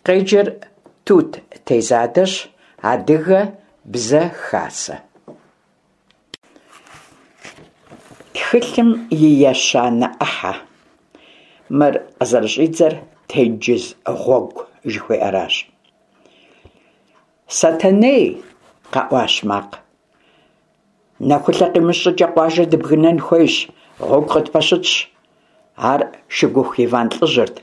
Къеджэр Тут Тезадэщ, Адыгэ бзэ хасэ. Тхылъым и ещанэ ӏыхьэ. Мыр къызэрыщӏидзэр Тенджыз гъуэгу жыхуиӏэращ. Сэтэней! къэӏуащ макъ. Нэхулъэ къимыщ щӏыкӏэ къуажэр дыбгынэн хуейщ, гъуэгу къытпэщытщ. Ар Шыгуху Иван лӏыжьырт.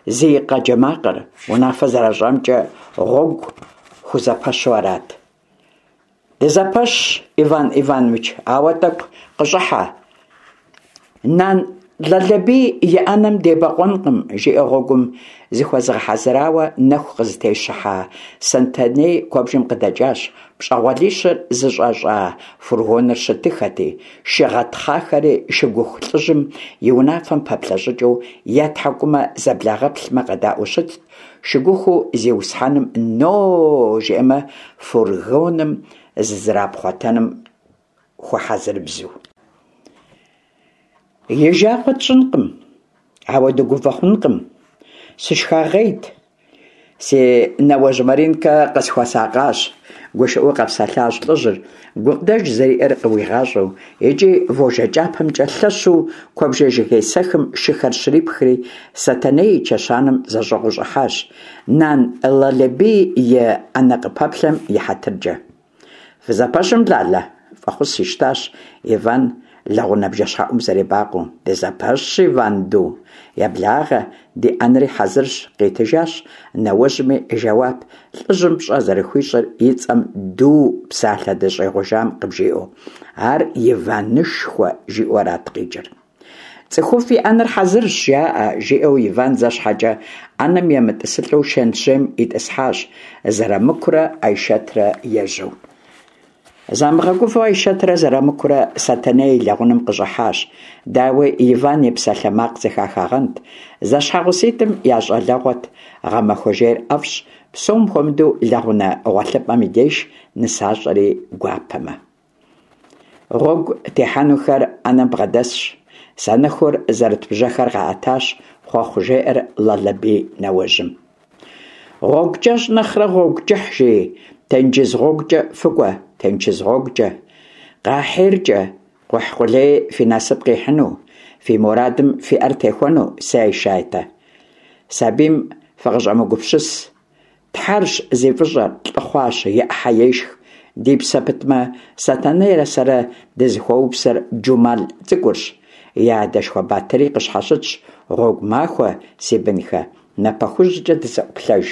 Зи къэджэ макъыр, унафэ зэращӏамкӏэ, гъуэгу хузэпэщу арат. Дызэпэщщ, Иван Иванович, ауэ тӏэкӏу къыщӏыхьэ. Нан Лалэбий и ӏэнэм дебэкъуэнкъым, жиӏэу гъуэгум зыхуэзыгъэхьэзырауэ нэху къызытещыхьа Сэтэней куэбжэм къыдэкӏащ, пщӏэгъуалищыр зыщӏэщӏа фургоныр щытыххэти, шы гъэтхъахэри Шыгуху лӏыжьым и унафэм пэплъэ щӏыкӏэу я тхьэкӏумэ зэблагъэплъмэ къэдаӏуэу щытт, Шыгухуу зиусхьэным но жиӏэмэ, фургоным зызэрапхъуэтэным хуэхьэзырыбзу. И жагъуэ тщӏынкъым, ауэ дыгувэ хъункъым. Сышхагъейт. Си нэуэжь Маринкэ къысхуэсакъащ, гушыӏэу къэпсэлъащ лӏыжьыр, гукъыдэж зэриӏэр къыуигъащӏэу, икӏи вожжэ кӏапэмкӏэ лъэщу куэбжэ жыгей сэхым шыхэр щрипхри, Сэтэней и чэщанэм зэщӏыгъуу щӏыхьащ, Нан Лалэбий и ӏэнэ къыпэплъэм и хьэтыркӏэ. Фызэпэщым, Лалэ, фӏэхъус ищтащ Иван лэгъунэ бжэщхьэӏум зэребакъуэу. Дызэпэщщ, Иван ду. Еблагъэ, ди ӏэнэри хьэзырщ, къитыжащ нэуэжьми жэуап, лӏыжьым пщӏэ зэрыхуищӏыр и цӏэм ду псалъэ дыщӏигъужам къыбжиӏэу. Ар Иванышхуэ жиӏэу арат къикӏыр. Цӏыхуфӏ и ӏэнэр хьэзырщ, жаӏэ, жиӏэу Иван зэ щхьэкӏэ ӏэнэм емытӏысылӏэу шэнтжьейм итӏысхьащ, Зэрамыкурэ Айшэтрэ ежьэу. Замыгъэгувэу Айшэтрэ Зэрамыкурэ Сэтэней и лэгъунэм къыщӏыхьащ. Дауи, Иван и псалъэмакъ зэхахагъэнт. Зэщхьэгъуситӏым я щӏалэгъуэт, гъэмахуэ жейр ӏэфӏщ, псом хуэмыдэу лэгъунэ гъуэлъыпӏэм и деж нысащӏэри гуапэмэ. Гъуэгу техьэнухэр ӏэнэм бгъэдэсщ. Санэхур зэрыт бжьэхэр къаӏэтащ, хъуэхъу жеӏэр Лалэбий нэуэжьым. Гъуэгу кӏэщӏ нэхърэ гъуэгу кӏыхь, жи, тенджыз гъуэгукӏэ фыкӏуэ, тенджыз гъуэгукӏэ. Къахьиркӏэ, кхъухь къулей фи насып къихьыну, фи мурадым фи ӏэр техуэну, сэ Айшатэ. Сабийм фыкъыщӏэмыгупсыс. Тхьэрщ зи фӏыщӏэр, лӏы хъуащ, и ӏыхьэ ешх. Ди псэ пытмэ, Сэтэнейрэ сэрэ дызыхуэупсэр Джумал цӏыкӏурщ. И адэшхуэ Батыри къыщхьэщытщ, гъуэгу махуэ, си бынхэ, напэ хужькӏэ дызэӏуплъэж.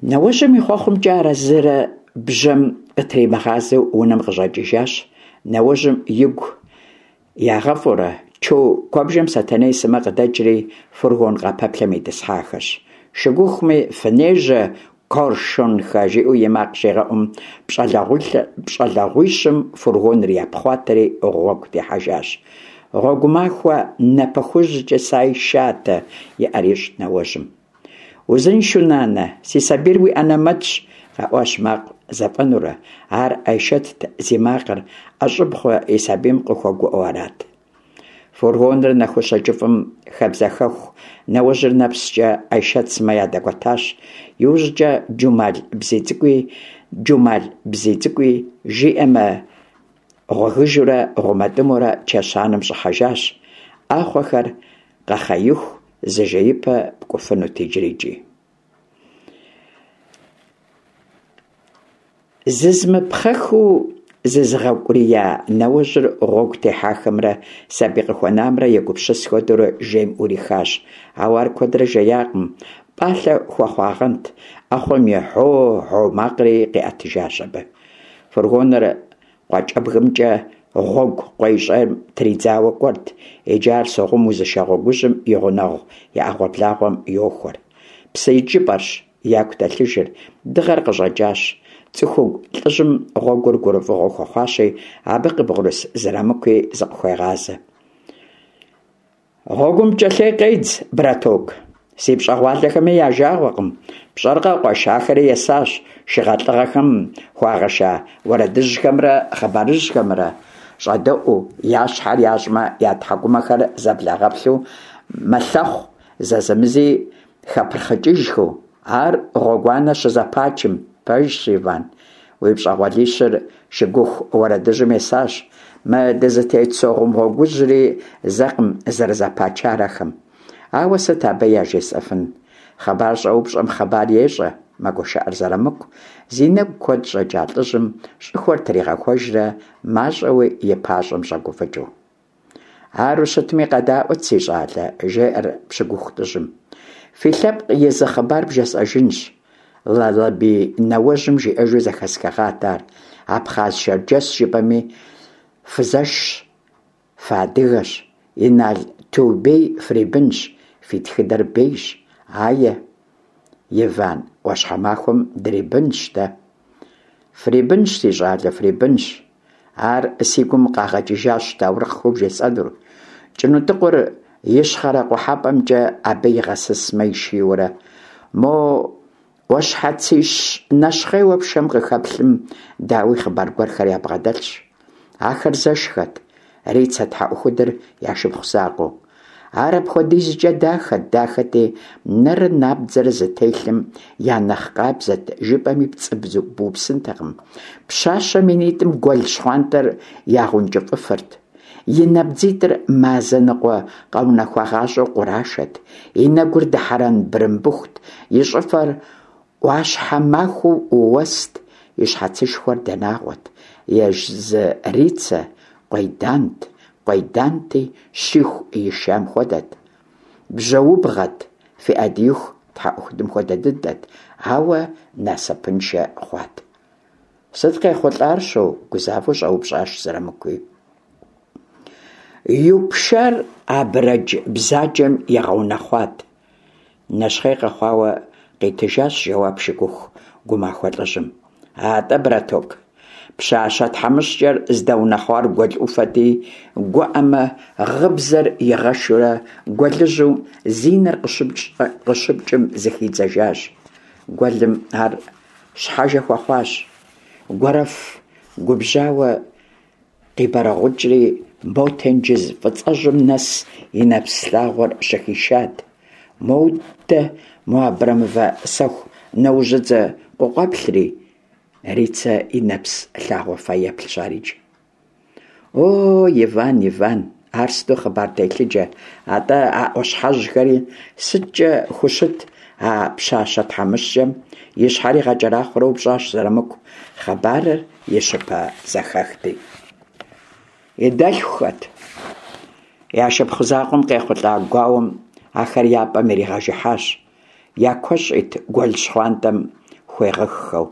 Нэуэжьым и хъуэхъумкӏэ арэзырэ бжьэм къытримыгъазэу унэм къыщӏэкӏыжащ. Нэуэжьым игу Ягъэфӏурэ, чо куэбжэм Сэтэней сымэ къыдэкӏри, фургон къапэплъэм итӏысхьахэщ. Шыгухуми фынежьэ Коршунхэ жиӏэу и макъ щигъэӏум, пщӏэлэгъуищым фургоныр япхъуатэри гъуэгу техьэжащ. Гъуэгу махуэ напэ хужькӏэ сай шатэ и ӏэр ищӏт нэуэжьым. Узыншэу, нанэ, си сабийр уи ӏэнэмэтщ, къэӏуащ макъ зэфӏэнурэ. Ар Айшэтт зи макъыр, ӏэщӏыб хъуа и сабийм къыхуэгуӏэу арат. Фургоныр нэхущэ кӏыфӏым хэбзэхэху, нэуэжьыр нэпскӏэ Айшэт сымэ ядэкӏуэтащ. Иужькӏэ Джумал бзий цӏыкӏуи, Джумал бзий цӏыкӏуи жиӏэмэ, гъуэгыжурэ гъумэтӏымурэ чэщанэм щӏыхьэжащ. ӏэхъуэхэр къэхъеиху зы жеипэ пкӏуфынут иджырикӏи. Зызмыпхъэхыу зызыгъэукӏурия нэуэжьыр гъуэгу техьахэмрэ сабий къыхуэнамрэ егупсыс хуэдэурэ жейм ӏурихащ. Ауэ ар куэдрэ жеякъым, пӏалъэ хуэхъуагъэнт, ӏэхъуэм и гьо-гьо макъри къиӏэтыжащ абы. Фургоныр Къуакӏэбгымкӏэ гъуэгу къуейщӏейм тридзауэ кӏуэрт, иджы ар Согъум узышэ гъуэгужьым и гъунэгъу и ӏэгъуэблагъуэм йохуэр. Псы икӏыпӏэрщ яку дэлъыжыр, дыгъэр къыщӏэкӏащ. Цӏыхугу лӏыжьым гъуэгур гурыфӏыгъуэ хуэхъуащи, абы къыбгъурыс Зырамыкуи зыкъыхуегъазэ. Гъуэгум пкӏэлъей къедз, браток. Си пщӏэгъуалэхэми я жагъуэкъым. Пщӏэркъэ, къуэш, ахэри есащ шыгъэлӏыгъэхэм хуагъэша уэрэдыжьхэмрэ хъыбарыжьхэмрэ щӏэдэӏуу, я щхьэр ящӏмэ, я тхьэкӏумэхэр зэблагъэплъу мэлъэхъу, зэзэмызи. хэпырхъыкӏыжхэу, ар гъуэгуанэ щызэпачым, пэжщ, Иван, уи пщӏэгъуалищыр шыгуху уэрэдыжьым есащ, мы дызытет Согъум гъуэгужьри зэкъым зэрызэпачар ахэм. Ауэ сыт абы яжесӏэфын? Хъыбар щӏэупщӏэм хъыбар ещӏэ, мэгушыӏэр Зырамыку, зи нэгу куэд щӏэкӏа лӏыжьым щӏыхуэр тригъэхуэжрэ мащӏэуи и пащӏэм щӏэгуфӏыкӏыу. Ару щытми, къэдаӏуэт, си щӏалэ, жеӏэр Пщыгуху лӏыжьым. Фи лъэпкъ и зы хъыбар бжесӏэжынщ. Лалэбий нэуэжьым жиӏэжу зэхэсхыгъат ар. Абхъаз-шэрджэс жыпӏэми, фызэшщ, фыадыгэщ, Инал Тубей фрибынщ, фи тхыдэр бейщ. Ае, Иван, ӏуащхьэмахуэм дрибынщ дэ. Фрибынщ, си щӏалэ, фрибынщ. Ар си гум къагъэкӏыжащ таурыхъхэу бжесӏэнур. Кӏынутӏыкъур ищхъэрэ-къухьэпӏэмкӏэ абы игъэсысмэ ишийуэрэ, мо ӏуащхьэцищ нэщхъейуэ пшэм къыхэплъым, дауи, хъыбар гуэрхэр ябгъэдэлъщ. Ахэр зэшхэт, Рицэ тхьэӏухудыр я шыпхъу закъуэу. Ар апхуэдизкӏэ дахэт, дахэти, нэрэ набдзэрэ зытелъым я нэхъ къабзэт, жыпӏэми пцӏы быупсынтэкъым. Пщащэм и нитӏым гуэл щхъуантӏэр ягъэункӏыфӏыфырт. И набдзитӏыр мазэ ныкъуэ къэунэхуагъащӏэу къурашэт, и нэгур дыхьэрэн бырымбыхут, и щӏыфэр ӏуащхьэмахуэу уэст, и щхьэцышхуэр дэнагъуэт, езы Рицэ къуейдант, къуейданти, щиху ишам хуэдэт. Бжьэубгъэт, фи Ӏэдииху тхьэӏухудым хуэдэ дыдэт, ауэ насыпыншэ хъуат. Сыт къехъулӏар, щоу? гузавэу щӏэупщӏащ Зырамыкуи. Юпшар абрэдж бзаджэм игъэунэхъуат. Нэщхъей къэхъуауэ къитыжащ жэуап шыгуху гумахуэ лӏыжьым. Атӏэ, браток, пщащэ тхьэмыщкӏэр здэунэхъуар гуэл ӏуфэти, гуӏэмэ, гъыбзэр игъэшурэ гуэлыжьу зи нэр къыщыпкӏым зыхидзэжащ. Гуэлым ар щхьэжэ хуэхъуащ. Гуэрэф губжьауэ Къибэрэгъукӏри, мо тенджыз фӏыцӏэжьым нэс и нэпс лъагъуэр щыхишат. Модэ мо абрэмывэ сэху нэужьыдзэ къыкъуэплъри, Рицэ и нэпс лъагъуэ фэеплъщ ар иджы. О, Иван, Иван, ар сыту хъыбар телъыджэ, атӏэ а ӏуащхьэжьхэри сыткӏэ хущыт а пщащэ тхьэмыщкӏэм? И щхьэр игъэкӏэрахъуэрэ упщӏащ Зырамыку. Хъыбарыр и щыпэ зэхэхти. И дэлъхухэт. Я шыпхъу закъуэм къехъулӏа гуауэм ахэр я пӏэм иригъэжыхьащ, я куэщӏ ит гуэл щхъуантӏэм хуегъыххэу.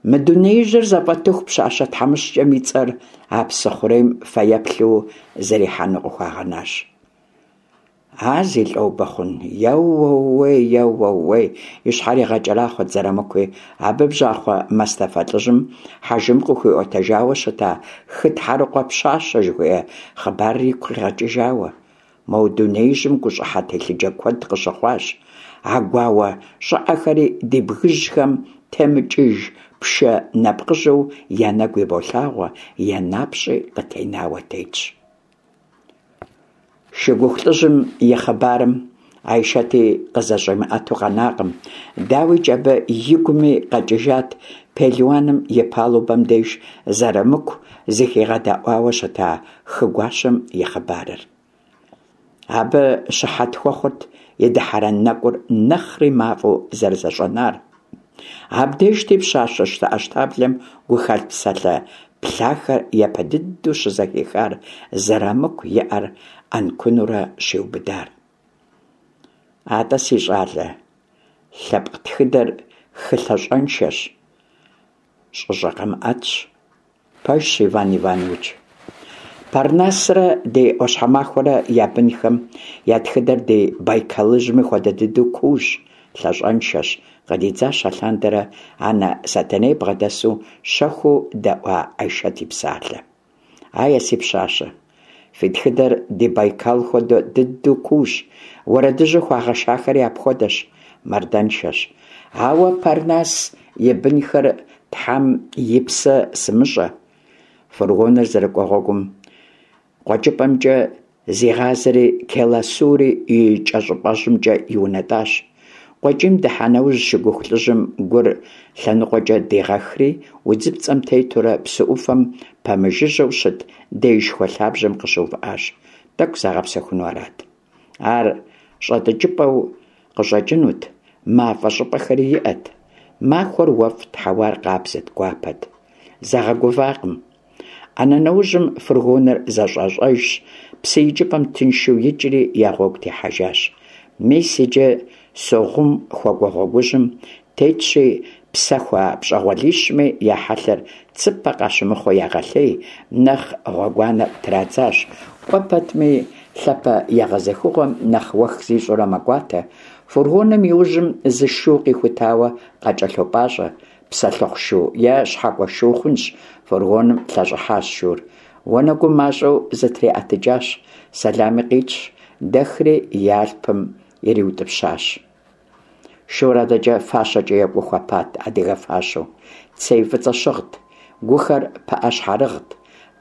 Мы дунеижьыр зэфӏэтыху пщащэ тхьэмыщкӏэм и цӏэр а псы хъурейм фэеплъу зэрихьэну къыхуагъэнащ. А зи лӏобэ хъун, еуэуей, еуэуей, и щхьэр игъэкӏэрахъуэт Зырамыкуи, абы бжьахъуэ Мэстэфэ лӏыжьым Хьэжым къыхуиӏуэтэжауэ щыта хы тхьэрыкъуэ пщащэ жыхуиӏэ хъыбарыр игу къигъэкӏыжауэ. Мо дунеижьым гущӏыхьэ телъыджэ куэд къыщыхъуащ. А гуауэ щӏыӏэхэри ди бгыжьхэм темыкӏыж пшэ нэпкъыжьэу я нэгу иболъагъуэ, я напщӏи къытенауэ тетщ. Шыгуху лӏыжьым и хъыбарым Айшэти къызэщӏимыӏэту къэнакъым. Дауикӏ, абы игуми къэкӏыжат пелуаным и палубэм деж Зырамыку зыхигъэдэӏуауэ щыта хы гуащэм и хъыбарыр. Абы щыхьэт хуэхъурт и дыхьэрэн нэкӏур нэхъри мафӏэу зэрызэщӏэнар. Абдежти пщащэ щтэӏэщтаблэм гухэлъ псалъэ плъахэр япэ дыдэу щызэхихар, Зырамыку и ӏэр ӏэнкунурэ щиубыдар. Атӏэ, си щӏалэ, лъэпкъ тхыдэр хы лъащӏэншэщ, щӏыщӏэ къэмыӏэтщ. Пэжщ, Иван Иванович. Парнасрэ ди ӏуащхьэмахуэрэ я бынхэм я тхыдэр ди Байкалыжьми хуэдэ дыдэу куущ, лъащӏэншэщ, къыдидзащ алъандэрэ анэ Сэтэней бгъэдэсу щэхуу дэӏуа Айшэт и псалъэ. Ае, си пщащэ, фи тхыдэр ди Байкал хуэдэ дыдэу куущ, уэрэдыжьу хуагъэшахэри апхуэдэщ, мардэншэщ. Ауэ Парнас и бынхэр Тхьэм и псэ сымыщӏэ. Фургоныр зэрыкӏуэ гъуэгум къуэкӏыпӏэмкӏэ Зигъазэри Келасури и кӏэщӏыпӏэжьымкӏэ иунэтӏащ. Къуэкӏийм дыхьа нэужь, шыгуху лӏыжьым гур лъэныкъуэкӏэ дигъэхри, удзыпцӏэм тетурэ псы ӏуфэм пэмыжыжьэу щыт деишхуэ лъабжьэм къыщыувыӏащ. Тӏэкӏу загъэпсэхуну арат. Ар щӏэтӏыкӏыпӏэу къыщӏэкӏынут, мафӏэ щӏыпӏэхэри иӏэт. Махуэр уэфӏт, хьэуар къабзэт, гуапэт. Загъэгувакъым. ӏэнэ нэужьым фургоныр зэщӏащӏэжщ, псы икӏыпӏэм тыншу икӏри я гъуэгу техьэжащ. Мис иджы Согъум хуэкӏуэ гъуэгужьым тетщи, псэхуа пщӏэгъуэлищми я хьэлъэр цыпэ къащымыхъуу ягъэлъей, нэхъ гъуэгуанэр традзащ. Кӏуэ пэтми, лъапэ егъэзыхыгъуэм нэхъ уэх зищӏурэ мэкӏуатэ. Фургоным и ужьым зы шу къихутауэ къакӏэлъопӏащӏэ. Псэлъыхъу шу е щхьэкӏуэ шу хъунщ, фургоным лъэщӏыхьащ шур. Уанэгум мащӏэу зытриӏэтыкӏащ, сэлами къитщ, дэхри и алъпым ириутӏыпщащ. Шур адэкӏэ фащэкӏэ екӏуу хуэпат, адыгэ фащэу. Цей фӏыцӏэ щыгът, гухэр пыӏэ щхьэрыгът,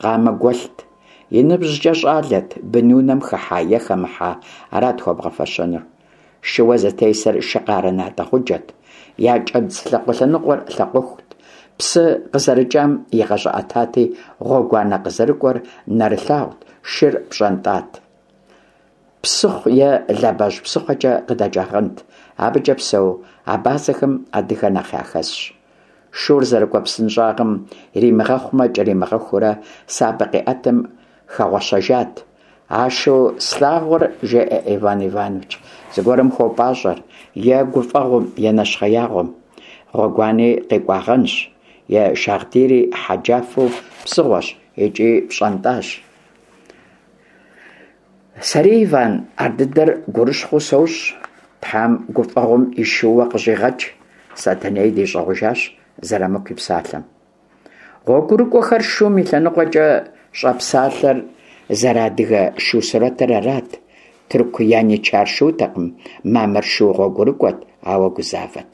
къамэ гуэлът. И ныбжькӏэ щӏалэт, бынунэм хыхьа е хэмыхьа, арат хуэбгъэфэщэнур. Шыуэ зытесыр шы къарэ натӏэ гъуджэт. Я кӏэдз лъакъуэ лъэныкъуэр лъакъуэхут. Псы къызэрыкӏам игъэщӏыӏэтати, гъуэгуанэ къызэрыкӏуэр нэрылъагъут, шыр пщӏэнтӏат. Псыхъу е Лабэжь псыхъуэкӏэ къыдэкӏагъэнт. Абыкӏэ псэу абазэхэм адыгэ нэхъ яхэсщ. Шур зэрыкӏуэ псынщӏагъым иримыгъэхъумэ кӏэримыгъэхуурэ сабэ къиӏэтым хэгъуэщэжат. А шу слъагъур, жеӏэ Иван Иванович, зыгуэрым хуопӏащӏэр, е гуфӏэгъуэм, е нэщхъеягъуэм. Гъуэгуани къикӏуагъэнщ. И шагъдийри хьэджафэу псыгъуэщ икӏи пщӏэнтӏащ. Сэри, Иван, ардыдэр гурыщхъуэу сощӏ. Тхьэм гуфӏэгъуэм и шууэ къыщӏигъэкӏ, Сэтэней дищӏыгъужащ Зырамыку и псалъэм. Гъуэгурыкӏуэхэр шум и лъэныкъуэкӏэ щӏэпсалъэр зэрыадыгэ шу сурэтыр арат. Тырку яничар шутэкъым, мамыр шу гъуэгурыкӏуэт, ауэ гузавэт.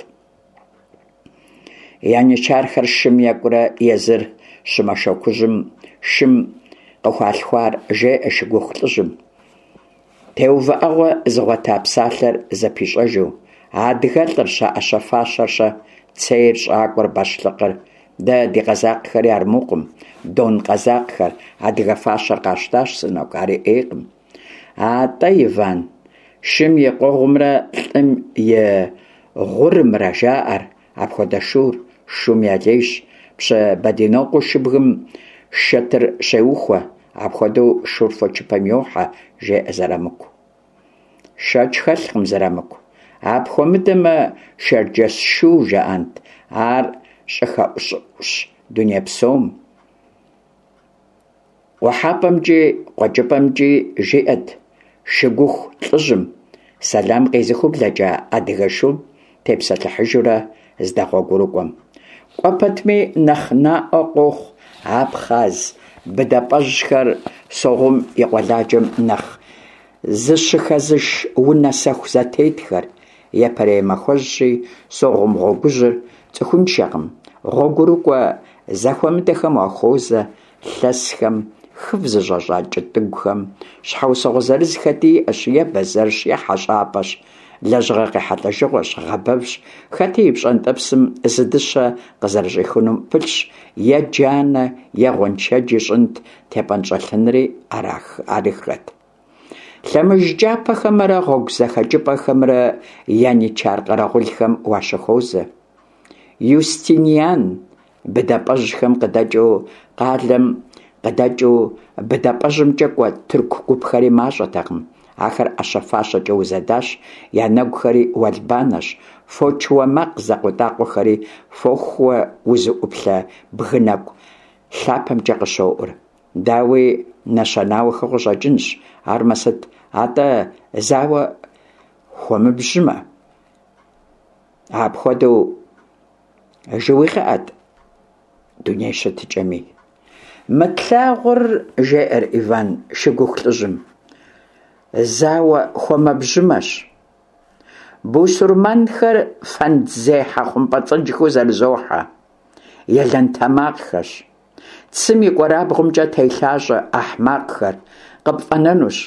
Яничархэр шым екӏурэ езыр щымэшэкужьым шым къыхуалъхуар, жеӏэ шыгуху лӏыжьым. Теувыӏэгъуэ зыгъуэта псалъэр зэпищӏэжу, а адыгэлӏыр-щэ, ӏэщэ-фащэр-щэ, цейр, щӏакӏуэр, бащлъыкъыр? Дэ ди къэзакъхэри армукъым, дон къэзакъхэр, адыгэ фащэр къащтащ, сынок, ари ӏейкъым. Атӏэ, Иван, шым и къуэгъумрэ лӏым и гъурымрэ жаӏэр, апхуэдэ шур, шум я лейщ. Пщы Бэдинокъуэу шыбгым шэтыр щеухуэ, апхуэдэу шур фочыпэм йохьэ, жеӏэ Зырамыку. Шэч хэлъкъым, Зырамыку. Апхуэмыдэмэ, шэрджэс шу жаӏэнт, ар щӏыхэӏущӏыӏущ дуней псом. Къухьэпӏэмкӏи къуэкӏыпӏэмкӏи жиӏэт шыгуху лӏыжьым, сэлам къезыхыу блэкӏа адыгэ шум тепсэлъыхьыжурэ здэгъуэгурыкӏуэм. Кӏуэ пэтми нэхъ наӏуэ къохъу абхъаз быдапӏэжьхэр Согъум и къуэладжэм нэхъ зыщыхэзыш унэ сэху зэтетхэр. Япэрей махуэжьщи, Согъум гъуэгужьыр цӏыхуншэкъым, гъуэгурыкӏуэ зэхуэмыдэхэм уахуозэ, лъэсхэм, хыв зыщӏэщӏа кӏытӏыгухэм, щхьэусыгъуэ зырыз хэти иӏэщ, е бэзэрщ, е хьэщӏапӏэщ, лэжьыгъэ къехьэлӏэжыгъуэщ, гъэбэвщ, хэти и пщӏэнтӏэпсым зы дыщэ къызэрыщӏихынум пылъщ, е джанэ, е гъуэншэдж ищӏынт, тепӏэнщӏэлъынри арыххэт. Лъэмыж кӏапэхэмрэ гъуэгу зэхэкӏыпӏэхэмрэ яничар къэрэгъулхэм уащыхуозэ. Юстиниан быдапӏэжьхэм къыдэкӏыу къалэм къыдэкӏыу быдапӏэжьымкӏэ кӏуэ тырку гупхэри мащӏэтэкъым. Ахэр ӏэщэ-фащэкӏэ узэдащ, я нэгухэри уэлбанэщ, фочыуэ макъ зэкъуэтӏакъуэхэри фохууэ узыӏуплъэ бгы нэкӏу лъапэмкӏэ къыщоӏур. Дауи, нэщанауэхэу къыщӏэкӏынщ, армэ сыт, атӏэ зауэ хуэмыбжьымэ. Апхуэдэу жыуигъыӏэт дуней щытыкӏэми. Мы тлъагъур, жеӏэр Иван шыгуху лӏыжьым, зауэ хуэмэбжьымэщ. Бусурманхэр фэндзехьэ хъумпӏэцӏэджхэу зэрызохьэ, елэнтэмакъхэщ. Цым и кӏуэрабгъумкӏэ телъащӏэ ахьмакъхэр къыпфӏэнэнущ.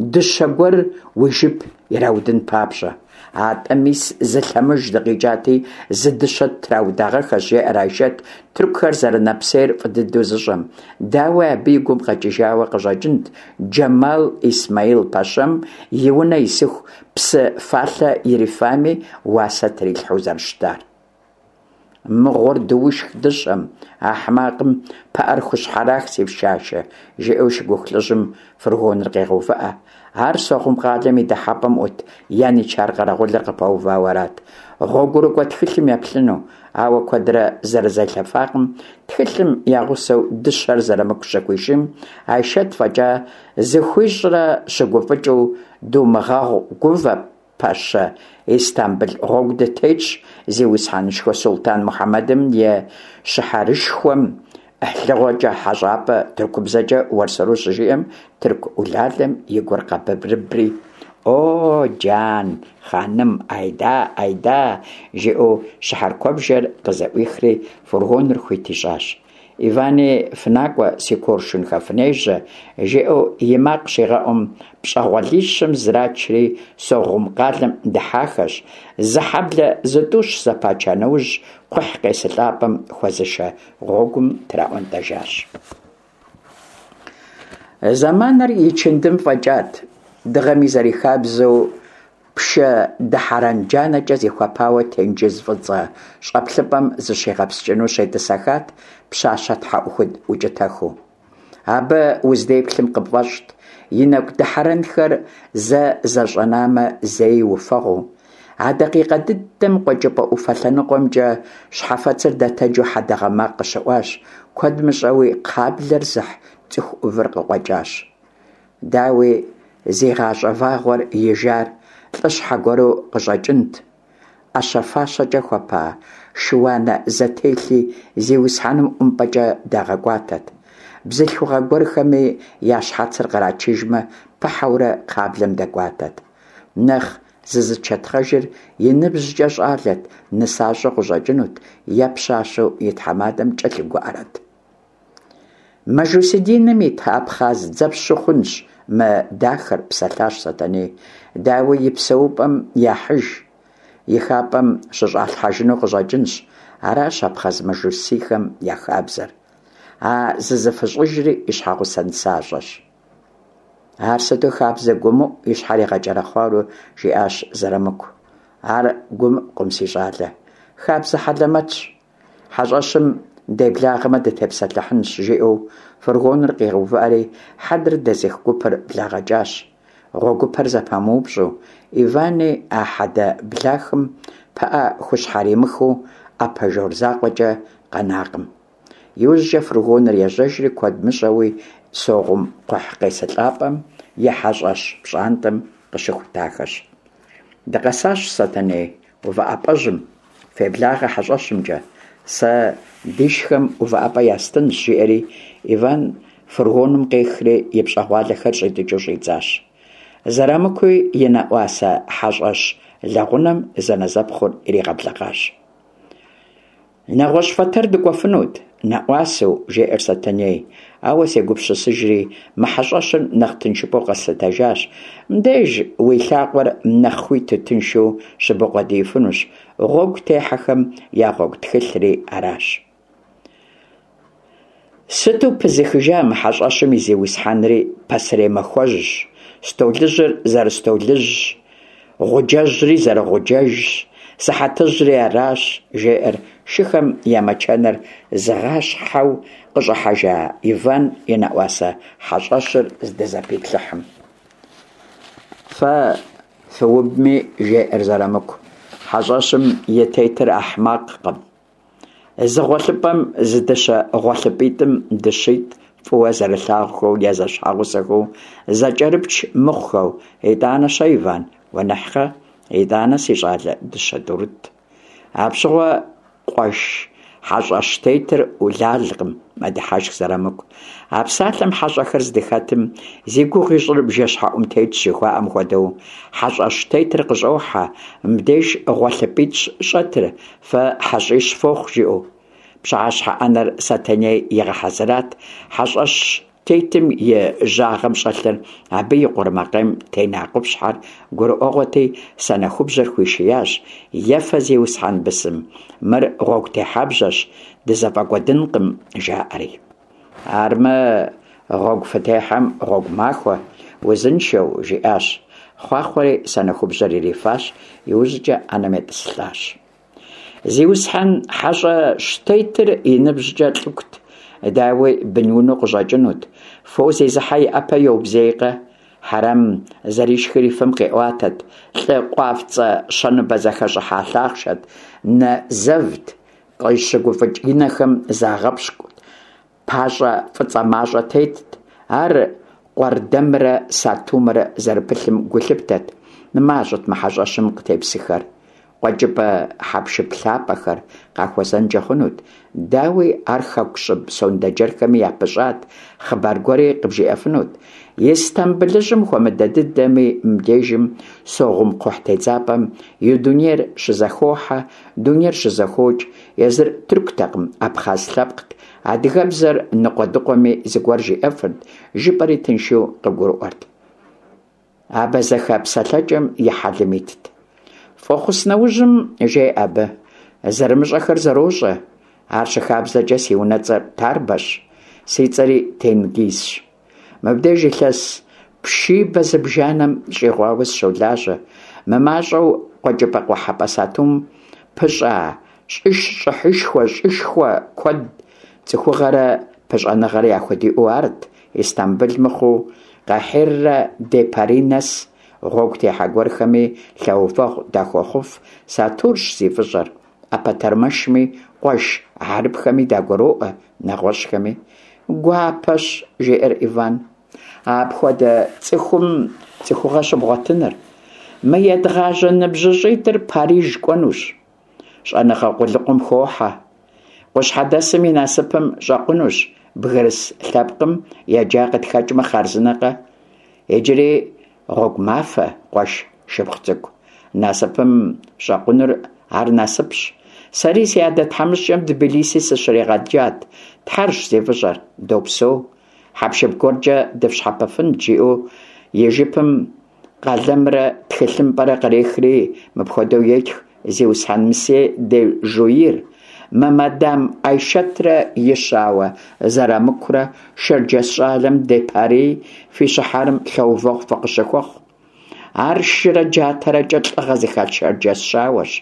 дыщэ гуэр уи жып ираудын папщӏэ. Атӏэ мис зы лъэмыж дыкъикӏати, зы дыщэ ттраудагъэххэщ, жеӏэр Айшэт, тыркухэр зэрынэпсейр фӏы дыдэу зыщӏэм. Дауи, абы и гум къэкӏыжауэ къыщӏэкӏынт Джэмал Исмаил пэщэм и унэ исыху псы фалъэ ирифами, уасэ трилъхьэу зэрыщытар. Мыгъуэр дыушх дыщэм, ахьмакъым пыӏэр хущхьэрах, си пщашэ, жиӏэу шыгуху лӏыжьым фургоныр къегъэувыӏэ. Ар Согъум къалэм и дыхьэпӏэм ӏут яничар къэрэгъулыр къыпэувауэ арат, гъуэгурыкӏуэ тхылъым еплъыну, ауэ куэдрэ зэрызелъэфакъым, тхылъым я гъусэу дыщэр Зырамыку щыхуишийм, Айшэт фӏэкӏа зыхуищӏрэ щыгуфӏыкӏыу думыгъэгъу гувэ Пэщэ, Истамбыл гъуэгу дытетщ, зиусхьэнышхуэ Сулътӏан Мухьэмэдым и щыхьэрышхуэм ӏыхьлыгъуэкӏэ хьэщӏапӏэ тыркубзэкӏэ уэрсэру щыжиӏэм, тырку ӏулалэм и гур къэбырыбри, О, джан, хъаным, айда, айда, жиӏэу щыхьэр куэбжэр къызэӏуихри фургоныр хуит ищӏащ. Ивани, фынакӏуэ, си коршунхэ, фынежьэ, жиӏэу и макъ щигъэӏум, пщӏэгъуэлищым зрачри Согъум къалэм дыхьахэщ. Зы хьэблэ зытӏущ зэпача нэужь, кхъухь къесылӏапӏэм хуэзышэ гъуэгум траӏуэнтӏэжащ. Зэманыр ичындым фӏэкӏат, дыгъэми зэрихабзэу Пшэ дыхьэрэн джанэкӏэ зихуэпауэ тенджыз Фӏыцӏэ щӏэплъыпӏэм зыщигъэпскӏыну щетӏысэхат пщащэ тхьэӏухуд укӏытэхыу. Абы уздеплъым къыпфӏэщӏт и нэкӏу дыхьэрэнхэр зэ зэщӏэнамэ, зэи уфэгъуу. А дакъикъэ дыдэм къуэкӏыпӏэ ӏуфэ лъэныкъуэмкӏэ щхьэфэцыр дэтэджу хьэдэгъэ макъ къыщыӏуащ, куэд мыщӏэуи кхъаблэр зыхь цӏыху ӏувыр къыкъуэкӏащ. Дауи, зи гъащӏэ вагъуэр ижар лӏыщхьэ гуэру къыщӏэкӏынт. ӏэщэ-фащэкӏэ хуэпа шы-уанэ зэтелъи зиусхьэным ӏумпӏэкӏэ дагъэкӏуатэт. Бзылъхугъэ гуэрхэми я щхьэцыр кърачыжмэ, пыхьэурэ кхъаблэм дэкӏуатэт. Нэхъ зызычэтхъэжыр и ныбжькӏэ щӏалэт, нысащӏэу къыщӏэкӏынут е пщащэу и тхьэмадэм кӏэлъыгуӏэрэт. Мажусий диным ит абхъаз дзэпщу хъунщ мы дахэр, псэлъащ Сэтэней. Дауи, и псэупӏэм яхьыж, и хапӏэм щыщӏалъхьэжыну къыщӏэкӏынщ. Аращ абхъаз мажусийхэм я хабзэр. А зызыфыщӏыжри и щхьэгъусэ нысащӏэщ. Ар сыту хабзэ гуэмыӏу, и щхьэр игъэкӏэрэхъуауэ жиӏащ Зырамыку. Ар гуэмыӏукъым, си щӏалэ. Хабзэ хьэлэмэтщ. Хьэщӏэщым деблагъэмэ дытепсэлъыхьынщ, жиӏэу фургоныр къигъэувыӏэри, хьэдэр дэзых гупыр благъэкӏащ. Гъуэгупэр зэпамыупщӏу, Ивани а хьэдэ блахым пыӏэ хущхьэримыхыу ӏэпэ жор закъуэкӏэ къэнакъым. Иужькӏэ фургоныр ежьэжри, куэд мыщӏэуи Согъум кхъухь къесылӏапӏэм и хьэщӏэщ пщӏантӏэм къыщыхутахэщ. Дыкъэсащ, Сэтэней, увыӏэпӏэжьым, феблагъэ хьэщӏэщымкӏэ, сэ дишхэм увыӏэпӏэ ястынщ, жиӏэри Иван фургоным къехри и пщӏэгъуалэхэр щӏитӏыкӏыу щӏидзащ. Зырамыкуи и нэӏуасэ хьэщӏэщ лэгъунэм зэнэзэпхъур иригъэблэгъащ. Нэгъуэщӏ фэтэр дыкӏуэфынут, нэӏуасэу, жеӏэр Сэтэней, ауэ сегупсысыжри, мы хьэщӏэщыр нэхъ тыншыпӏэу къэслъытэжащ. Мыбдеж уи лъакъуэр нэхъ хуиту тыншу щыбукъуэдиифынущ, гъуэгу техьэхэм я гъуэгу тхылъри аращ. Сыту пызыхыжа мы хьэщӏэщым и зиусхьэнри пасэрей махуэжьщ, столыжьыр зэрыстолыжьщ, гъуджэжьри зэрыгъуджэжщ, сыхьэтыжьри аращ, жеӏэр шыхэм я мэчэныр зыгъащхьэу къыщӏыхьэжа Иван и нэӏуасэ хьэщӏэщыр здызэпиплъыхьым. Фэ фыубми, жеӏэр Зырамыку, хьэщӏэщым и тетыр ахьмакъкъым. Зы гъуэлъыпӏэм зы дыщэ гъуэлъыпӏитӏым дыщитӏ фӏыуэ зэрылъагъухэу е зэщхьэгъусэхэу зэкӏэрыпч мыхъухэу, итӏанэ-щэ, Иван, гуэныхькъэ? Итӏанэ, си щӏалэ, дыщэ тӏурытӏ. Апщыгъуэ, къуэш, хьэщӏэщтетыр ӏулалкъым, мэдыхьэшх Зырамыку. А псалъэм хьэщӏэхэр здыхэтым, зи гугъу ищӏыр бжэщхьэӏум тетщ жыхуаӏэм хуэдэу, хьэщӏэщтетыр къыщӏохьэ, мыбдеж гъуэлъыпӏитӏщ щӏэтыр, Фэ хьэщӏищ фохъу, жиӏэу. Пщыхьэщхьэ ӏэнэр Сэтэней игъэхьэзырат, хьэщӏэщ. тетым и жьагъэм щӏэлъыр, абы и къурмакъейм тена къупщхьэр гурыӏуэгъуэти, санэхубжьэр хуишиящ, Ефэ, зиусхьэн бысым, мыр гъуэгу техьэбжьэщ, дызэфӏэкӏуэдынкъым, жаӏэри. Армэ, гъуэгу фытехьэм гъуэгу махуэ, узыншэу, жиӏащ. Хъуахъуэри санэхубжьэр ирифащ, иужькӏэ ӏэнэм етӏысылӏащ. Зиусхьэн хьэщӏэщтетыр и ныбжькӏэ лӏыкут, дауи, бынунэу къыщӏэкӏынут. Фо зезыхьэ и ӏэпэ йобзейкъэ? Хьэрэм зэришхыр и фэм къиӏуатэт, лӏы къуафцӏэ щэныбэ зэхэщӏыхьа лъахъшэт, нэ зэвт, къыщыгуфӏыкӏ и нэхэм загъэпщкӏут, пащӏэ фӏыцӏэ мащӏэ тетт, ар къуэрдэмрэ сатумрэ зэрыпылъым гу лъыптэт. Мащӏэт мы хьэщӏэщым къытепсыхэр. Къуэкӏыпӏэ хьэпшып лъапӏэхэр къахуэзэнкӏэ хъунут. Дауи, ар хэку щӏыб сондэджэрхэми япыщӏат, хъыбар гуэри къыбжиӏэфынут. Истамбылыжьым хуэмыдэ дыдэми, мыбдежым Согъум кхъухь тедзапӏэм и дунейр щызэхохьэ, дунейр щызэхокӏ. Езыр тыркутэкъым, абхъаз лъэпкът, адыгэбзэр ныкъуэдыкъуэми зыгуэр жиӏэфырт, жыпӏэри тыншу къыгурыӏуэрт. Абэзэхэ псэлъэкӏэм и хьэлым итт. Фӏэхъус нэужьым, жеӏэ абы, зэрымыщӏэхэр зэрощӏэ. Ар щыхабзэкӏэ си унэцӏэр Тарбэщ, си цӏэри Тенгизщ. Мыбдеж илъэс пшибэ зыбжанэм щӏигъуауэ сыщолажьэ. Мымащӏэу къуэкӏыпӏэ-къухьэпӏэ сатум пыщӏа щӏыхьышхуэ, щӏышхуэ куэд цӏыхугъэрэ пыщӏэныгъэрэ яхудиӏэу арт, Истамбыл мыхъуу, Къахиррэ де Пари нэс гъуэгу техьэ гуэрхэми лъэувэгъу дахуохъуф, сатурщ зи фӏыщӏэр. ӏэпэтэрмэшми, къуэш хьэрыпхэми дагуроӏуэ, нэгъуэщӏхэми. Гуапэщ, жеӏэр Иван. Апхуэдэ цӏыхум цӏыхугъэ щыбгъуэтыныр. Мы едгъажьэ ныбжьыщӏитӏыр Париж кӏуэнущ. Щӏэныгъэ къулыкъум хохьэ. Къущхьэдэсым и насыпым щӏэкъунущ, бгырыс лъэпкъым еджа къытхэкӏмэ хъарзынэкъэ? Иджыри гъуэгу мафэ, къуэш, шыпхъу цӏыкӏу. Насыпым щӏэкъунур ар насыпщ. Сэри си адэ тхьэмыщкӏэм Тбилиси сыщригъэджат. Тхьэрщ зи фӏыщӏэр, допсэу. Хьэпшып гуэркӏэ дыфщхьэпэфынт, жиӏэу и жыпым къалэмрэ тхылъымпӏэрэ кърехри, мыпхуэдэу етх, Зиусхьэн мсье де Жуир, мы мадам Айшэтрэ и щауэ Зэрамыкурэ шэрджэс щӏалэм де Пари фи щыхьэрым лъэувэгъу фыкъыщыхуэхъу. Ар шырэ джатэрэкӏэ лӏыгъэ зыхэлъ шэрджэс щауэщ.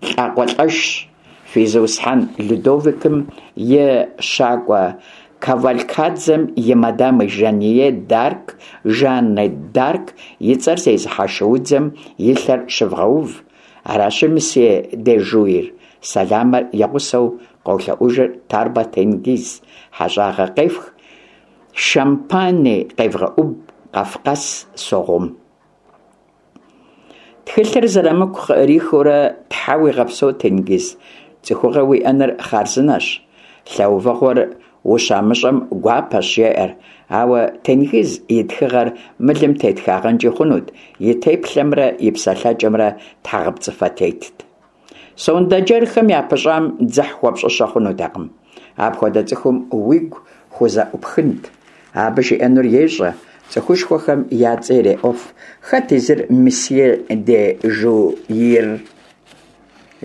Лӏакъуэлӏэшщ. Фи зиусхьэн Людовикым и щакӏуэ кавалькадзэм и мадам Жание д'Арк, Жаннэ д'Арк и цӏэр зезыхьэ шуудзэм и лъэр щывгъэув. Аращи, мсье де Жуир, сэламыр и гъусэу къолъэӏужыр Тарбэ Тенгиз, хьэщӏагъэ къефх, шампани къевгъэӏуб, Къафкъас Согъум. Тхылъыр Зырамыку къыӏрихыурэ, Тхьэ уигъэпсэу, Тенгиз, цӏыхугъэ уиӏэныр хъарзынэщ. Лъэувэгъуэр ущамыщӏэм гуапэщ, жеӏэр. Ауэ Тенгиз и тхыгъэр мылым тетхагъэнкӏи хъунут, и теплъэмрэ и псэлъэкӏэмрэ тхьэгъэпцӏыфэ тетт. Сондэджэрхэм япыщӏам дзыхь хуэпщӏыщэ хъунутэкъым. Апхуэдэ цӏыхум уигу хузэӏупхынт. Абы жиӏэнур ещӏэ, цӏыхушхуэхэм я цӏэ иреӏуэф. Хэт езыр мсье де Жуир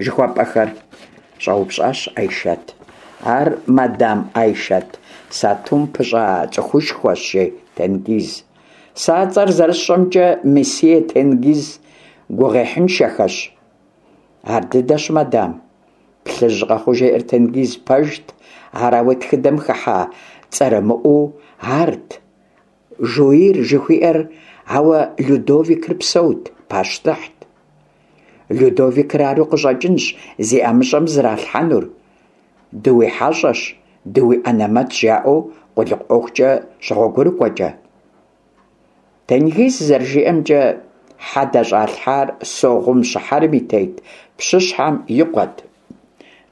жыхуэпӏэхэр? щӏэупщӏащ Айшэт. Ар мадам Айшэт сатум пыщӏа цӏыхушхуэщ, жи Тенгиз. Сэ а цӏэр зэрысщӏэмкӏэ, месье Тенгиз гугъуехьыншэхэщ. Ар дыдэщ, мадам. Плъыжь къэхъуу жеӏэр Тенгиз, пэжт, ар ауэ тхыдэм хыхьа цӏэрымыӏуэу арт. Жуир жыхуиӏэр, ауэ Людовикыр псэут, пащтыхьт. Людовикыр ару къыщӏэкӏынщ зи ӏэмыщӏэм зралъхьэнур. Дыуихьэщӏэщ, дыуиӏэнэмэтщ, жаӏэу къулыкъу ӏуэхукӏэ щыгъуэгурыкӏуэкӏэ. Тенгиз зэрыжиӏэмкӏэ, хьэдэ щӏалъхьар Согъум щыхьэрым и тет пщыщхьэм и къуэт,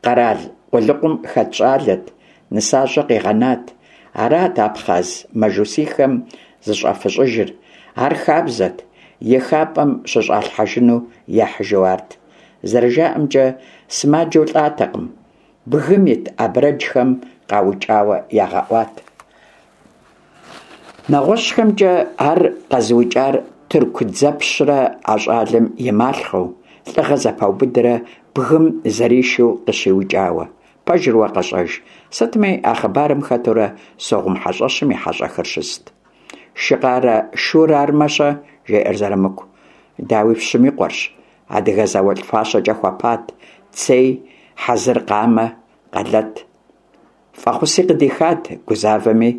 къэрал къулыкъум хэт щӏалэт, нысащӏэ къигъэнат. Арат абхъаз мажусийхэм зыщӏафыщӏыжыр. Ар хабзэт, и хапӏэм щыщӏалъхьэжыну яхьыжу арт. Зэрыжаӏэмкӏэ, сымаджэу лӏатэкъым, бгым ит абрэджхэм къаукӏауэ ягъэӏуат. Нэгъуэщӏхэмкӏэ ар къэзыукӏар тырку дзэпщрэ а щӏалэм и малъхъэу, лӏыгъэ зэпаубыдрэ бгым зэришэу къыщиукӏауэ. Пэжыр уэ къэщӏэж. Сытми, а хъыбарым хэтурэ Согъум хьэщӏэщым и хьэщӏэхэр щыст. Шыкъарэ шур армэ-щэ? жеӏэр Зырамыку. Дауи, пщым и къуэрщ. Адыгэ зауэлӏ фащэкӏэ хуэпат, цей, хьэзыр къамэ, къэлэт. Фӏэхъуси къыдихат, гузавэми,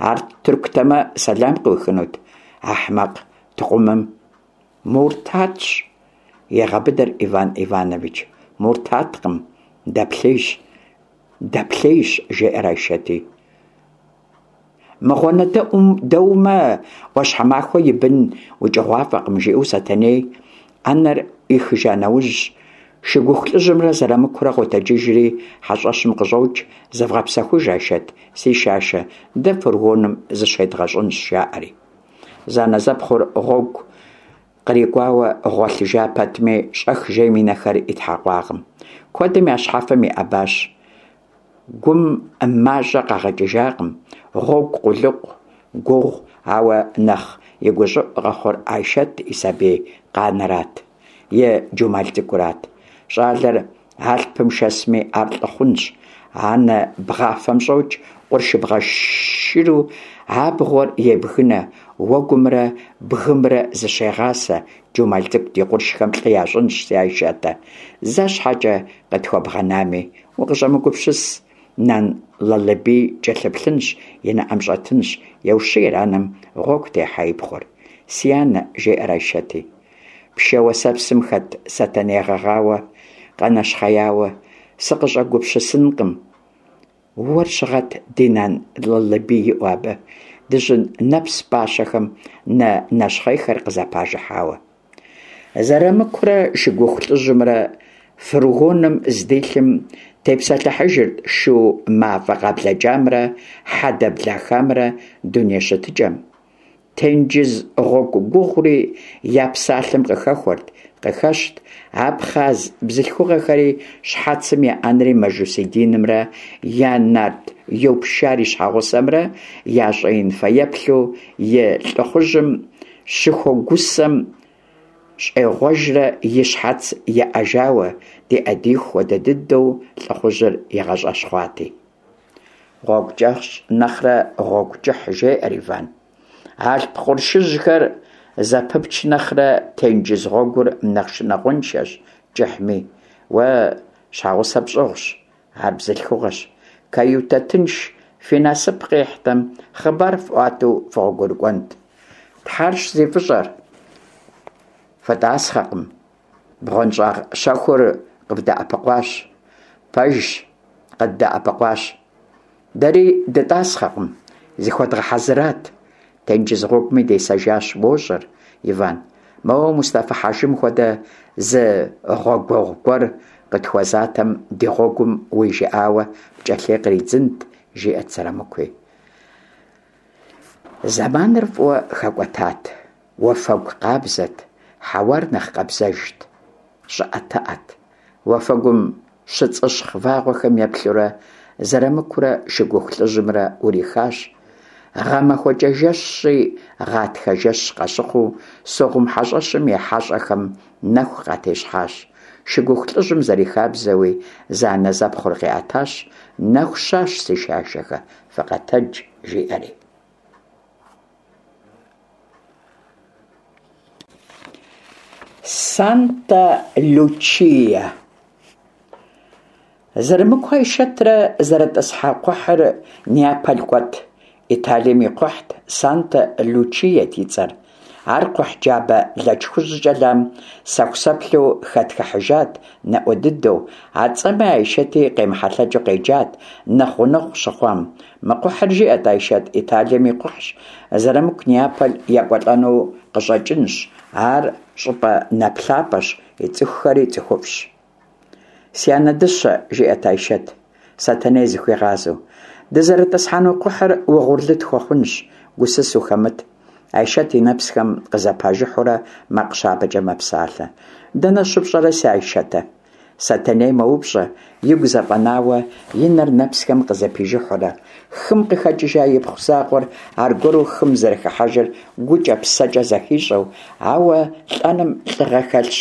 ар тыркутэмэ, сэлам къыуихынут, ахьмакъ тыкъумым. Муртатщ, егъэбыдэр Иван Иванович. Муртаткъым, дэплъейщ, дэплъейщ, жеӏэр Айшэти. Мыгъуэнэдэумэ, ӏуащхьэмахуэ и бын укӏыгъуафӏэкъым, жиӏэу Сэтэней ӏэнэр ӏуихыжа нэужь, Шыгуху лӏыжьымрэ Зырамыкурэ къотэджыжри хьэщӏэщым къыщӏокӏ, зывгъэпсэхуж, Айшэт, си шашэ, дэ фургоным зыщедгъэщӏынщ, жаӏэри. Зэанэзэпхъур гъуэгу кърикӏуауэ гъуэлъыжа пэтми, щӏэх жейм и нэхэр итхьэкъуакъым. Куэдым я щхьэфэм иӏэбащ. Гум мащӏэ къагъэкӏыжакъым, гъуэгу, къулыкъу, гугъу, ауэ нэхъ и гущӏыӏу къэхъур Айшэт и сабий къанэрат, и Джумал цӏыкӏурат. Щӏалэр алъпым шэсми, ар лӏы хъунщ. Анэ бгъафэм щӏокӏ, къуршыбгъэ шыру абгъуэр ебгынэ, уэгумрэ бгымрэ зыщегъасэ, Джумал цӏыкӏу ди къуршхэм лӏы ящӏынщ, си Айшэтэ. Зэ щхьэкӏэ къытхуэбгъэнами, Укъыщӏэмыгупсыс, Нан Лалэбий кӏэлъыплъынщ, и нэӏэм щӏэтынщ, еущийр анэм гъуэгу техьа и пхъур. Си анэ, жеӏэр Айшэти. Пшэ уэсэпсым хэт Сэтэней гъэгъауэ, къэнэщхъеяуэ, сыкъыщӏэгупсысынкъым. Уэр щыгъэт ди Нан Лалэбий иӏэу абы, дыжьын нэпс пӏащэхэм нэ нэщхъейхэр къызэпажыхьауэ. Зырамыкурэ Шыгуху лӏыжьымрэ фургоным здилъым тепсэлъыхьыжырт шу мафӏэ къаблэкӏамрэ хьэдэ блахамрэ дуней щытыкӏэм. Тенджыз гъуэгу гугъури я псалъэм къыхэхуэрт, къыхэщт, абхъаз бзылъхугъэхэри щхьэцым еӏэнри мажусий динымрэ я нарт Йопшар и щхьэгъусэмрэ я щӏэин фэеплъу и лӏыхъужьым Щыхуэгусэм щӏегъуэжрэ и щхьэц еӏэжауэ, ди ӏэдииху хуэдэ дыдэу лӏыхъужьыр игъэщӏэщхъуати. Гъуэгу кӏэщӏ нэхърэ гъуэгу кӏыхь, жеӏэр Иван. Алъп къуршыжьхэр зэпыпч нэхърэ тенджыз гъуэгур нэхъ шынагъуэншэщ кӏыхьми. Уэ щхьэгъусэ пщӏыгъущ, Ар бзылъхугъэщ. Каютэ тынш фи насып къихьтэм, хъыбар фӏуатэу фыгъуэгурыкӏуэнт. Тхьэрщ зи фӏыщӏэр. Фытӏасхъэкъым. Бгъуэнщӏагъ щэхур къывдэӏэпыкъуащ. Пэжщ, къыддэӏэпыкъуащ. Дэри дытӏасхъэкъым, зыхуэдгъэхьэзырат. Тенджыз гъуэгуми десэжащ, уощӏэр, Иван. Моуэ Мустэфы-хьэжым хуэдэ зы гъуэгуэгъу гуэр къытхуэзатэм, ди гъуэгум уи жыӏауэ пкӏэлъей къридзынт, жиӏэт Зырамыкуи. Зэманыр фӏыуэ хэкӏуэтат, уафэгу къабзэт, хьэуар нэхъ къабзэжт, щӏыӏэтыӏэт. Уафэгум щыцӏыщхъ вагъуэхэм еплъурэ Зырамыкурэ Шыгуху лӏыжьымрэ ӏурихащ. Гъэмахуэкӏэ жэщи, гъатхэ жэщ къащыхъуу, Согъум хьэщӏэщым и хьэщӏэхэм нэху къатещхьащ. Шыгуху лӏыжьым зэрихабзэуи, зэанэзэпхъур къиӏэтащ, Нэху щащ, си шашэхэ, фыкъэтэдж, жиӏэри. Санта-Лючия. Зырамыку Айшэтрэ зэрытӏысхьа кхъухьыр Неаполь кӏуэт. Италием и кхъухьт, Санта-Лючиет и цӏэр. Ар кхъухь джабэ лэч хужькӏэ лам сэхусэплъу хэтхыхьыжат, наӏуэ дыдэу. А цӏэми Айшэти къемыхьэлъэкӏыу къеджат, нэхъ гъунэгъу щыхъуам. Мы кхъухьыр, жиӏэт Айшэт, Италием и кхъухьщ, Зырамыку Неаполь екӏуэлӏэну къыщӏэкӏынщ. Ар щӏыпӏэ нэплъапӏэщ, и цӏыхухэри цӏыхуфӏщ. Си анэ дыщэ, жиӏэт Айшэт, Сэтэней зыхуигъазэу, дызэрытӏысхьэну кхъухьыр угъурлы тхуэхъунщ, гусыс ухэмыт. Айшэт и нэпсхэм къызэпажыхьурэ макъ щабэкӏэ мэпсалъэ. Дэнэ щыпщӏэрэ, си Айшэтэ? Сэтэней мэупщӏэ, игу зэфӏэнауэ, и нэр нэпсхэм къызэпижыхьурэ. Хым къыхэкӏыжа ипхъу закъуэр аргуэру хым зэрыхыхьэжыр гукӏэ, псэкӏэ зэхищӏэу, ауэ лӏэным лӏыгъэ хэлъщ,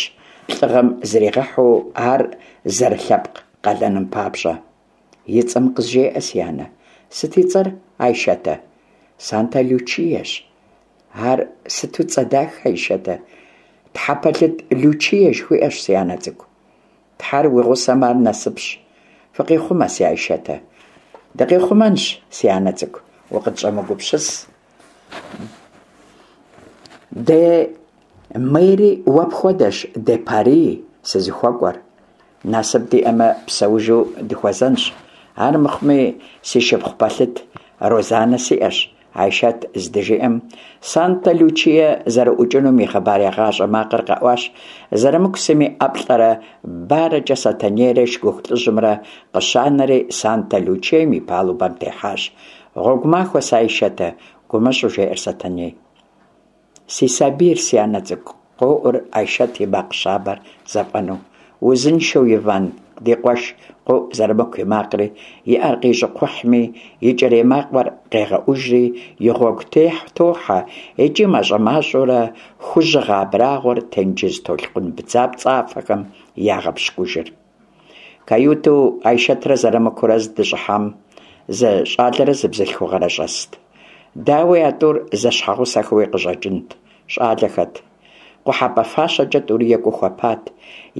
лӏыгъэм зригъэхьу ар зэрылъэпкъ къалэным папщӏэ. И цӏэм къызжеӏэ, си анэ. Сыт и цӏэр, Айшэтэ? Санта-Лючиещ. Ар сыту цӏэ дахэ, Айшэтэ. Тхьэпэлъыт Лючие жыхуиӏэщ, си анэ цӏыкӏу. Тхьэр уи гъусэм ар насыпщ. Фыкъихъумэ, си Айшэтэ. Дыкъихъумэнщ, си анэ цӏыкӏу, укъытщӏэмыгупсыс. Де Мери уэ пхуэдэщ, де Пари сызыхуэкӏуэр. Насып диӏэмэ, псэужу дыхуэзэнщ. Ар мыхъуми, си шыпхъу пэлъыт Розанэ сиӏэщ, Айшэт здыжиӏэм, Санта-Лючие зэрыӏукӏынум и хъыбарегъащӏэ макъыр къэӏуащ, Зэрымыку сыми ӏэплӏэрэ барэкӏэ Сэтэнейрэ шыгуху лӏыжьымрэ къыщанэри Санта-Лючием и палубэм техьащ. Гъуэгу махуэ, си Айшэтэ, гумэщӏу жеӏэр Сэтэней. Си сабийр, си анэ цӏыкӏу, къоӏур Айшэт и макъ щабэр зэфӏэнэу. Узыншэу, Иван, ди къуэш, къоӏу Зэрымыку и макъри, и ӏэр къищӏу кхъухьми, икӏэрей макъыр къегъэӏужри, и гъуэгу тохьэ икӏи мащӏэ-мащӏэурэ хужьыгъэ абрагъуэр тенджыз толъкъун бдзапцӏафэхэм ягъэпщкӏужыр. Каютэу Айшэтрэ Зэрымыкурэ здыщӏыхьам зы щӏалэрэ зы бзылъхугъэрэ щӏэст. Дауи, а тӏур зэщхьэгъусэхэуи къыщӏэкӏынт, щӏалэхэт. Къухьэпӏэ фащэкӏэ тӏури екӏуу хуэпат,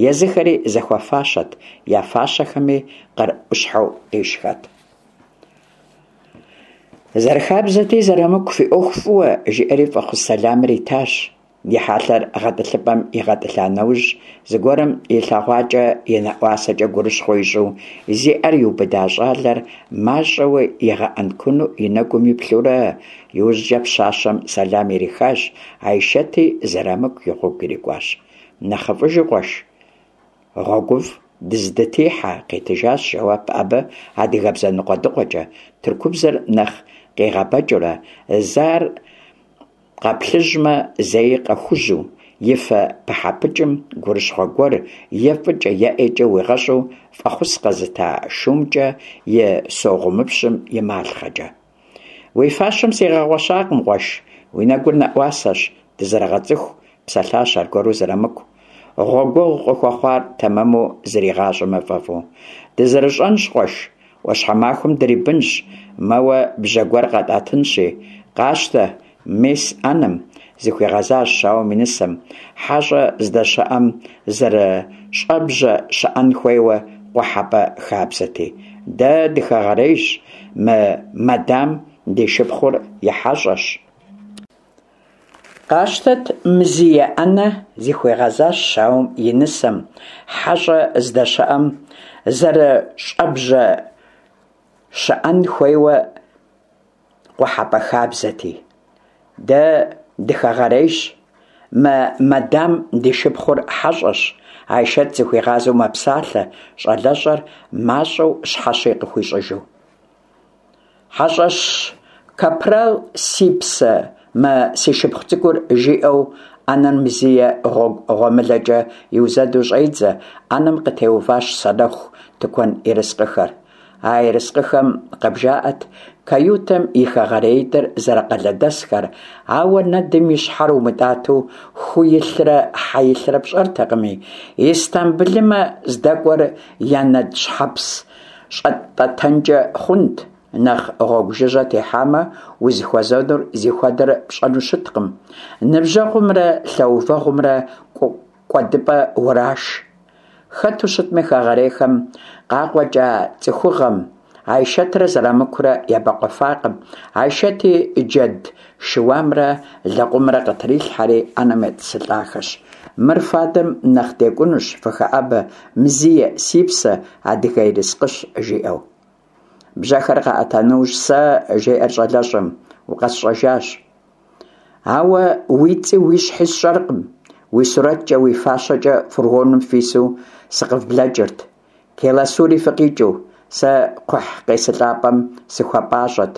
езыхэри зэхуэфащэт, я фащэхэми къыр ӏущхьэу къищхэт. Зэрыхабзэти, Зэрымыку фи ӏуэху фӏыуэ, жиӏэри фӏэхъус сэламыр итащ. И хьэлъэр гъэтӏылъыпӏэм игъэтӏылъа нэужь, зыгуэрым илъэгъуакӏэ и нэӏуасэкӏэ гурыщхъуэ ищӏу, зи ӏэр иубыда щӏалэр мащӏэуи игъэӏэнкуну и нэгум иплъурэ, иужькӏэ пщащэм сэлам ирихащ, Айшэти Зэрамыку и гъуэгу ирикӏуащ. Нэхъыфӏыжу, къуэш, гъуэгуфӏ дыздытехьэ, къитыжащ жэуап абы адыгэбзэ ныкъуэдыкъуэкӏэ, тыркубзэр нэхъ къигъэбэкӏыурэ, зэ ар Къэплъыжьмэ, зэи къэхужьу, и фэ пыхьэпыкӏым гурыщхъуэ гуэр е фӏыкӏэ е ӏейкӏэ уигъэщӏу фӏэхъус къэзыта шумкӏэ и согъумыпщым и малъхъэкӏэ. Уи фащэм сигъэгъуэщакъым, къуэш, уи нэгур нэӏуасэщ, дызэрыгъэцӏыху, псэлъащ аргуэру Зэрамыку. Гъуэгуэгъу къыхуэхъуар тэмэму зригъащӏэмэ фӏэфӏу. Дызэрыщӏэнщ, къуэш, ӏуащхьэмахуэм дрибынщ, мэуэ бжьэ гуэр къэтӏэтынщи, къащтэ, мес ӏэнэм, зыхуигъэзащ щауэм и нысэм, хьэщӏэ здэщыӏэм зэрыщӏэбжьэ щыӏэн хуейуэ къухьэпӏэ хабзэти. Дэ дыхэгъэрейщ, мы мадам ди шыпхъур и хьэщӏэщ. Къащтэт Мзие ӏэнэ, зыхуигъэзащ щауэм и нысэм, хьэщӏэ здэщыӏэм зэрыщӏэбжьэ щыӏэн хуейуэ къухьэпӏэ хабзэти. Дэ дыхэгъэрейщ, мы мадам ди шыпхъур хьэщӏэщ, Айшэт зыхуигъазэу мэпсалъэ, щӏалэщӏэр мащӏэу щхьэщи къыхуищӏыжу. Хьэщӏэщ капрал си псэ, мы си шыпхъу цӏыкӏур жиӏэу ӏэнэр Мзие гъуэгу гъуэмылэкӏэ иузэду щӏедзэ, ӏэнэм къытеуващ санэху тыкуэн ерыскъыхэр. А ерыскъыхэм къыбжаӏэт каютэм и хэгъэреитӏыр зэрыкъалэдэсхэр, ауэ нэдым и щхьэр умытӏатэу ху илърэ хьэ илърэ пщӏэртэкъыми, Истамбылымэ здэкӏуэр я нэд щхьэпс щӏэтӏэтэнкӏэ хъунт, нэхъ гъуэгу жыжьэ техьамэ, узыхуэзэнур зихуэдэр пщӏэну щыткъым. Ныбжьэгъумрэ лъэувэгъумрэ кӏуэдыпӏэ ураш. Хэту щытми, хэгъэрейхэм къакъуэкӏа цӏыхугъэм Айшэтрэ Зэрамыкурэ ебэкъуэфакъым. Айшэти джэд шыуамрэ лэкъумрэ къытрилъхьэри ӏэнэм етӏысылӏахэщ. Мыр фадэм нэхъ декӏунущ, фыхэӏэбэ, Мзие, си псэ, адыгэ ерыскъыщ, жиӏэу. Бжьэхэр къаӏэта нэужь, сэ, жеӏэр щӏалэщӏэм, укъэсщӏэжащ. Ауэ уи цӏи уи щхьи сщӏэркъым, уи сурэткӏэ, уи фащэкӏэ фургоным фису сыкъывблэкӏырт. Келасури фыкъикӏыу, сэ кхъухь къесылӏапӏэм сыхуэпӏащӏэт.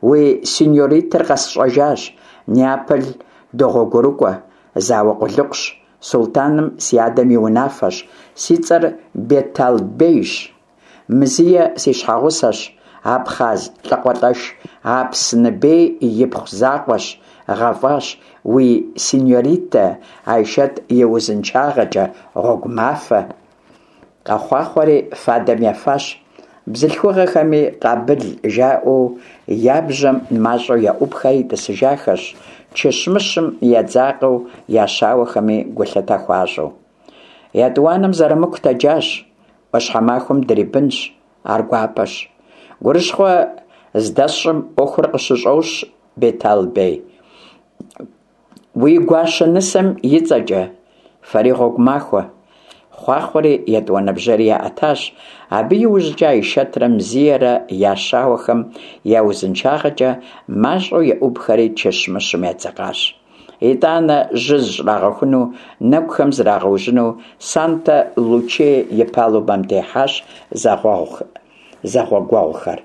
Уи синьоритэр къэсщӏэжащ, Неаполь догъуэгурыкӏуэ, зауэ къулыкъущ. Султӏаным си адэм и унафэщ, си цӏэр Бетал-бейщ. Мзие си щхьэгъусэщ, абхъаз лӏакъуэлӏэш Апсны-бей ипхъу закъуэщ, гъэфӏащ уи синьоритэ Айшэт и узыншагъэкӏэ, гъуэгу махуэ. Къэхъуахъуэри фадэм ефащ, бзылъхугъэхэми къабыл жаӏэу я бжьэм мащӏэу еӏубхэри тӏысыжахэщ, чыщмыщым едзакъэу я щауэхэми гулъытэ хуащӏу. Етӏуанэм Зэрамыку тэджащ, ӏуащхьэмахуэм дрибынщ, ар гуапэщ. Гурыщхъуэ здэсщӏым ӏуэхур къыщыщӏощ, Бетал-бей. Уи гуащэ нысэм и цӏэкӏэ, фэри гъуэгу махуэ. Хъуахъуэри етӏуанэ бжьэри яӏэтащ. Абы иужькӏэ Айшэтрэ Мзиерэ я щауэхэм я узыншагъэкӏэ мащӏэу еӏубхэри чыщмыщым едзэкъащ. Итӏанэ жьы зыщӏрагъэхуну, нэгухэм зрагъэужьыну Санта-Лучие и палубэм техьащ зэгъуэгуэгъухэр.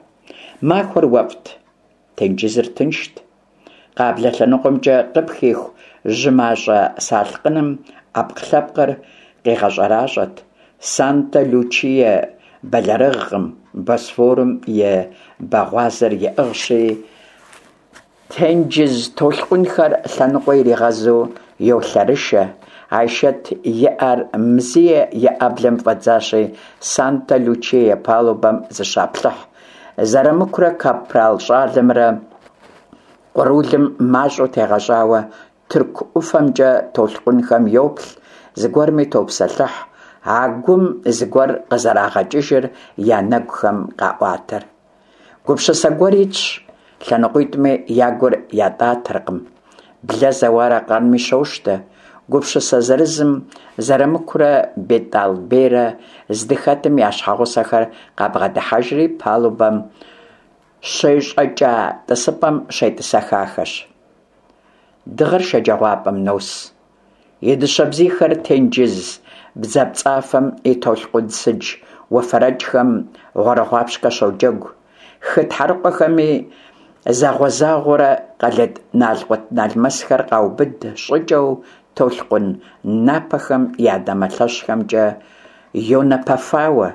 Махуэр уэфӏт, тенджызыр тыншт. Къаблэ лъэныкъуэмкӏэ къыпхиху жьы мащӏэ салъкъыным ӏэпкълъэпкъыр къигъэщӏэращӏэт. Санта-Лучие бэлэрыгъкъым, Босфорым и бэгъуазэр иӏыгъщи, тенджыз толъкъунхэр лъэныкъуэ иригъэзу йолъэрышэ. Айшэт и ӏэр Мзие и ӏэблэм фӏэдзащи, Санта-Лучие палубэм зыщаплъыхь. Зэрамыкурэ капрал щӏалэмрэ къурулым мащӏэу тегъэщӏауэ тырку ӏуфэмкӏэ толъкъунхэм йоплъ, зыгуэрми топсэлъыхь, а гум зыгуэр къызэрагъэкӏыжыр я нэгухэм къаӏуатэр. Гупсысэ гуэр итщ, лъэныкъуитӏми я гур ятӏатэркъым. Блэ зэуар аркъэнми щощтэ. Гупсысэ зырызым Зэрамыкурэ Бетӏал-бейрэ здыхэтым я щхьэгъусэхэр къабгъэдыхьэжри палубэм щещӏэкӏа тӏысыпӏэм щетӏысэхахэщ. Дыгъэр шэджагъуапӏэм нос. И дыщэ бзийхэр тенджыз бдзапцӏафэм и толъкъун сыдж уэфэрэкӏхэм гъуэрыгъуапщкӏэ щоджэгу. Хы тхьэрыкъуэхэми загъуэ-загъуэурэ къэлыд налкъут-налмэсхэр къаубыд щӏыкӏэу толъкъун напэхэм я дамэ лъэщхэмкӏэ йонэпэфауэ.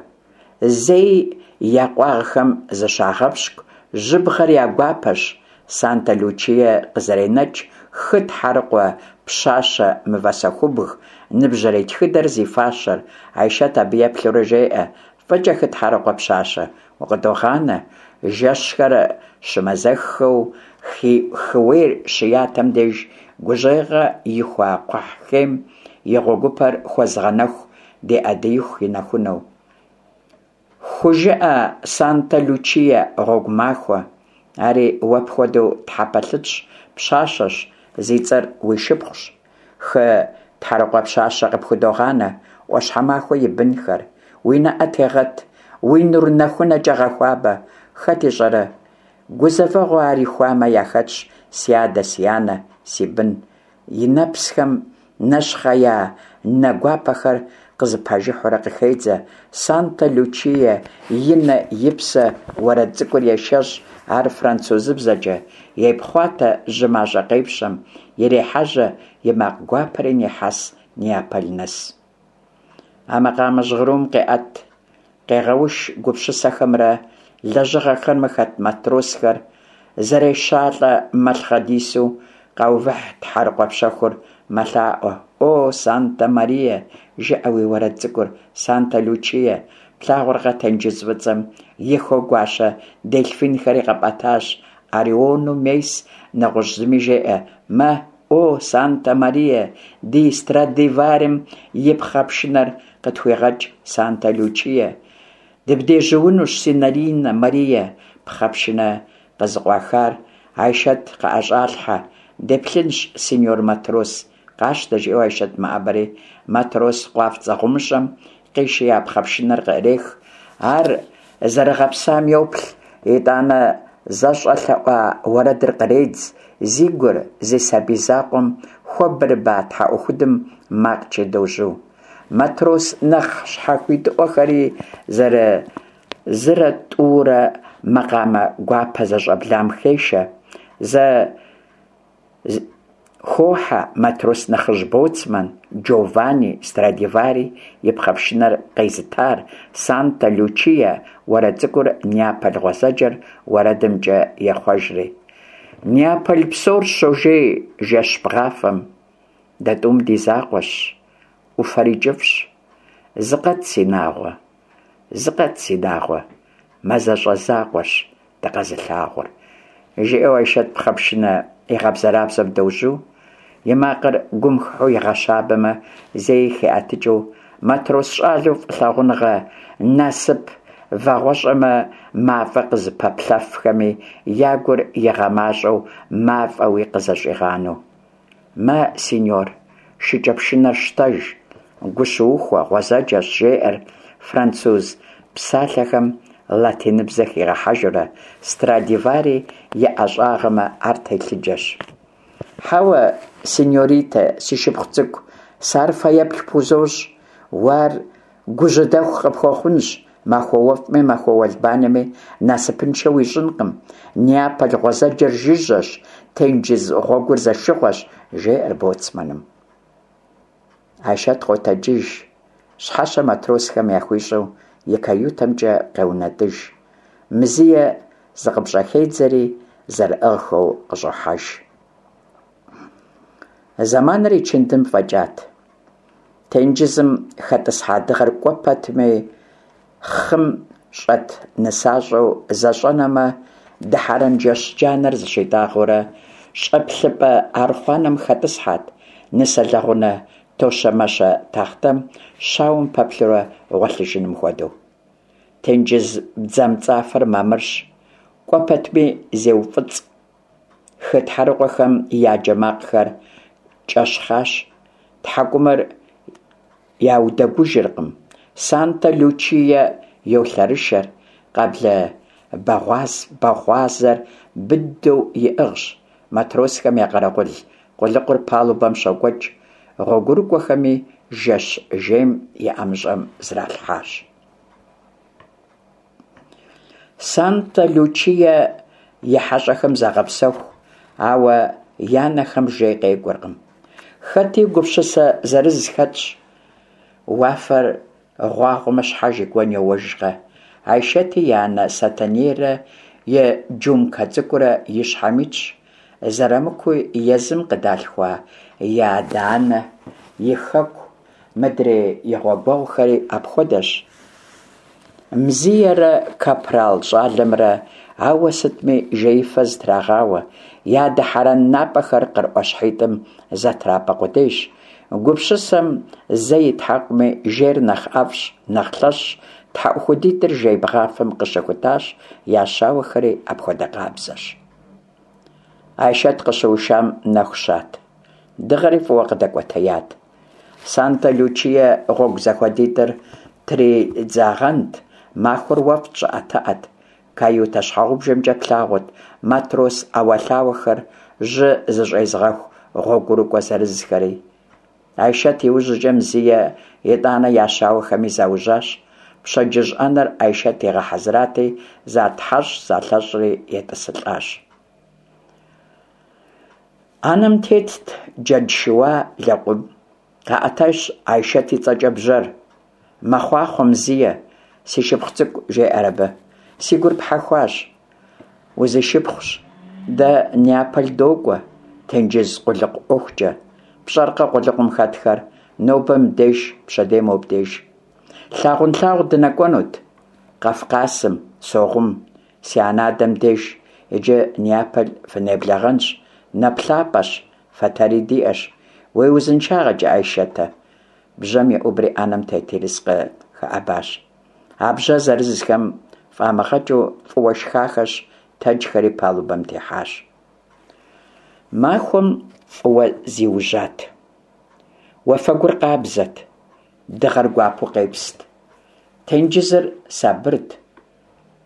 Зэи я къуагъхэм зыщагъэпщкӏу, жьыбгъэр я гуапэщ. Санта-Лучие къызэренэкӏ хы тхьэрыкъуэ пщащэ мывэсэхубг, ныбжьэрей тхыдэр зи фащэр. Айшэт абы еплъурэ жеӏэ, Фӏыкӏэ хы тхьэрыкъуэ пщащэ, укъыдогъанэ. Жэщхэр щымазэххэу хыуейр щыятэм деж гужьейгъэ ихуа кхъухь хейм и гъуэгупэр хуэзыгъэнэху ди Ӏэдииху и нэхунэу. Хужыӏэ Санта-Лучие гъуэгу махуэ. Ари уэ пхуэдэу тхьэпэлъытщ, пщащэщ, зи цӏэр уи шыпхъущ. Хы тхьэрыкъуэ пщащэ къыпхудогъанэ, ӏуащхьэмахуэ и бынхэр. Уи нэӏэ тегъэт, уи нур нэхунэкӏэ гъэхуабэ. Хэт ищӏэрэ, гузэвэгъуэ ар ихуамэ яхэтщ си адэ, си анэ, си бын. И нэпсхэм нэщхъея нэ гуапэхэр къызэпажыхьурэ къыхедзэ. Санта-Лучие и нэ и псэ уэрэд цӏыкӏур ешэщӏ, ар французыбзэкӏэ, епхъуатэ жьы мащӏэ къепщэм, ирехьэжьэ, и макъ гуапэри нехьэс Неаполь нэс. А макъамэ жьгъырум къеӏэт, къегъэуш гупсысэхэмрэ лэжьыгъэхэмрэ хэт матросхэр, зэрешалӏэ малъхъэдису къаувыхь тхьэрыкъуэ пщэхур мэлъаӏуэ, О, Санта-Мария, жыӏэ уи уэрэд цӏыкӏур, Санта-Лучие, плъагъуркъэ тенджыз фӏыцӏэм и хыгуащэ дельфинхэри къэпӏэтащ, Ориону мес, нэгъуэщӏ зыми жеӏэ, Мэ, о, Санта-Мария, ди Страдиварим и пхъэ пшынэр къытхуигъэкӏ, Санта-Лучие. Дыбдежьуунущ, синьоринэ Мария, пхъэ пшынэ къызыкъуахар Айшэт къыӏэщӏалъхьэ. Деплъынщ, синьор матрос, къащтэ, жиӏэу Айшэт мэӏэбэри, матрос къуафцӏэ гъумыщӏэм къишия пхъэ пшынэр къыӏрех. Ар зэрыгъэпсам йоплъ, итӏанэ зэщӏэлъэӏуа уэрэдыр къредз, зи гур, зи сабий закъуэм хуэбырыба тхьэӏухудым макъкӏэ дожьу. Матрос нэхъ щхьэхуитыӏуэхэри зырызрэ тӏурэ макъамэ гуапэ зэщӏэблам хешэ. Зэ. Хохьэ матрос нэхъыжь боцман Джованни Страдивари и пхъэпшынэр къезытар, Санта Лючия уэрэд цӏыкӏур Неаполь гъуэзэджэр уэрэдымкӏэ ехъуэжри. Неаполь псор щожей жэщ бгъафэм, дэ тӏум ди закъуэщ, ӏуфэри кӏыфӏщ. Зыкъэт, си нагъуэ, зыкъэт, си нагъуэ, мазэщӏэ закъуэрщ дыкъэзылъагъур, жиӏэу Айшэт пхъэпшынэ игъэбзэрабзэм дожьу, и макъыр гум хыхьэу игъэщабэмэ, зэи хиӏэтыкӏыу, матрос щӏалэу фӏылъагъуныгъэ насып вагъуэщӏэмэ мафӏэ къызыпэплъэфхэми я гур игъэмащӏэу мафӏэуи къызэщӏигъанэу. Мэ, синьор, шыкӏэпшынэр щтэж, гу щыухуэ, гъуэзэджэщ, жеӏэр француз псалъэхэм латиныбзэ хигъэхьэжурэ, Страдивари и ӏэщӏагъэмэ, ар телъыджэщ. Хьэуэ, синьоритэ, си шыпхъу цӏыкӏу, сэ ар фэеплъ пхузощӏ, уэ ар Гужьыдэху къыпхуэхъунщ, махуэ уэфӏми махуэ уэлбанэми насыпыншэ уищӏынкъым. Неаполь гъуэзэджэр жыжьэщ, тенджыз гъуэгур зэшыгъуэщ, жеӏэр боцманым. Айшэт къотэджыж, щхьэщэ матросхэм яхуищӏу и каютэмкӏэ къеунэтӏыж. Мзие зыкъыпщӏэхедзэри, зэрыӏыгъхэу къыщӏохьэж. Зэманыр ичындым фӏэкӏат. Тенджызым хэтӏысхьа дыгъэр кӏуэ пэтми хъым щӏэт нысащӏэу зэщӏэнэмэ, дыхьэрэн жэщ джанэр зыщитӏагъэурэ, щӏэплъыпӏэ архъуанэм хэтӏысхьэт, нысэ лэгъунэ тощэмэщэ тахътэм щауэм пэплъурэ гъуэлъыжыным хуэдэу. Тенджыз бдзэмцӏафэр мамырщ, кӏуэ пэтми зеуфӏыцӏ. Хы тхьэрыкъуэхэм я джэ макъхэр кӏэщхъащ, тхьэкӏумэр яудэгужыркъым. Санта-Лючие йолъэрышэр, къэблэ бэгъуазэр быдэу иӏыгъщ. Матросхэм я къэрэгъул къулыкъур палубэм щокӏуэкӏ, гъуэгурыкӏуэхэми жэщ жейм и ӏэмыщӏэм зралъхьащ. Санта-Лючие и хьэщӏэхэм загъэпсэху, ауэ я нэхэм жей къекӏуэркъым. Хэти гупсысэ зырыз хэтщ. Уафэр гъуагъуэмэ, щхьэж и гуэн йоуэжкъэ. Айшэти и анэ Сэтэнейрэ и джумкэ цӏыкӏурэ и щхьэм итщ. Зэрамыкуи езым къыдалъхуа и адэ-анэ, и хэку, Мыдрей и гъуэгуэгъухэри апхуэдэщ. Мзиерэ капрал щӏалэмрэ ауэ сытми жеифэ зытрагъауэ, я дыхьэрэн напӏэхэр къыр ӏуащхьитӏым зэтрапӏэ къудейщ. Гупсысэм зэ итхьэкъуми, жейр нэхъ ӏэфӏщ, нэхъ лъэщщ. Тхьэӏухудитӏыр жей бгъафэм къыщыхутащ, я щауэхэри апхуэдэ къабзэщ. Айшэт къыщыушам нэху щат. Дыгъэри фӏыуэ къыдэкӏуэтеят. Санта-Лючие гъуэгу зэхуэдитӏыр тридзагъэнт, махуэр уэфӏт, щӏыӏэтыӏэт. Каютэ щхьэгъубжэмкӏэ плъагъурт матрос ӏэуэлъауэхэр, жьы зыщӏезыгъэху гъуэгурыкӏуэ зырызхэри. Айшэт иужькӏэ Мзие, итӏанэ я щауэхэми заужьащ. Пщэдджыжь ӏэнэр Айшэт игъэхьэзырати, затхьэщӏ-залъэщӏри етӏысылӏащ. Ӏэнэм тетт джэд шыуа, лэкъум. Къаӏэтащ Айшэт и цӏэкӏэ бжьэр. Мэхъуахъуэ Мзие, си шыпхъу цӏыкӏу, жеӏэр абы. Си гур пхьэхуащ. Узишыпхъущ. Дэ Неаполь докӏуэ, тенджыз къулыкъу ӏуэхукӏэ. Пщӏэркъэ къулыкъум хэтхэр, нобэ мыбдеж, пщэдей мобдеж. Лъагъунлъагъу дынэкӏуэнут. Къафкъасым, Согъум, си анэ-адэм деж, иджы Неаполь фынеблэгъэнщ, нэплъапӏэщ, фэтэри диӏэщ. Уи узыншагъэкӏэ, Айшэтэ. Бжьэм еӏубри ӏэнэм тет ерыскъы хэӏэбащ. А бжьэ зырызхэм фӏамыгъэкӏыу фӏыуэ шхахэщ, тэджхэри палубэм техьащ. Махуэм фӏыуэ зиужьат. Уафэгур къабзэт, дыгъэр гуапэу къепст. Тенджызыр сабырт,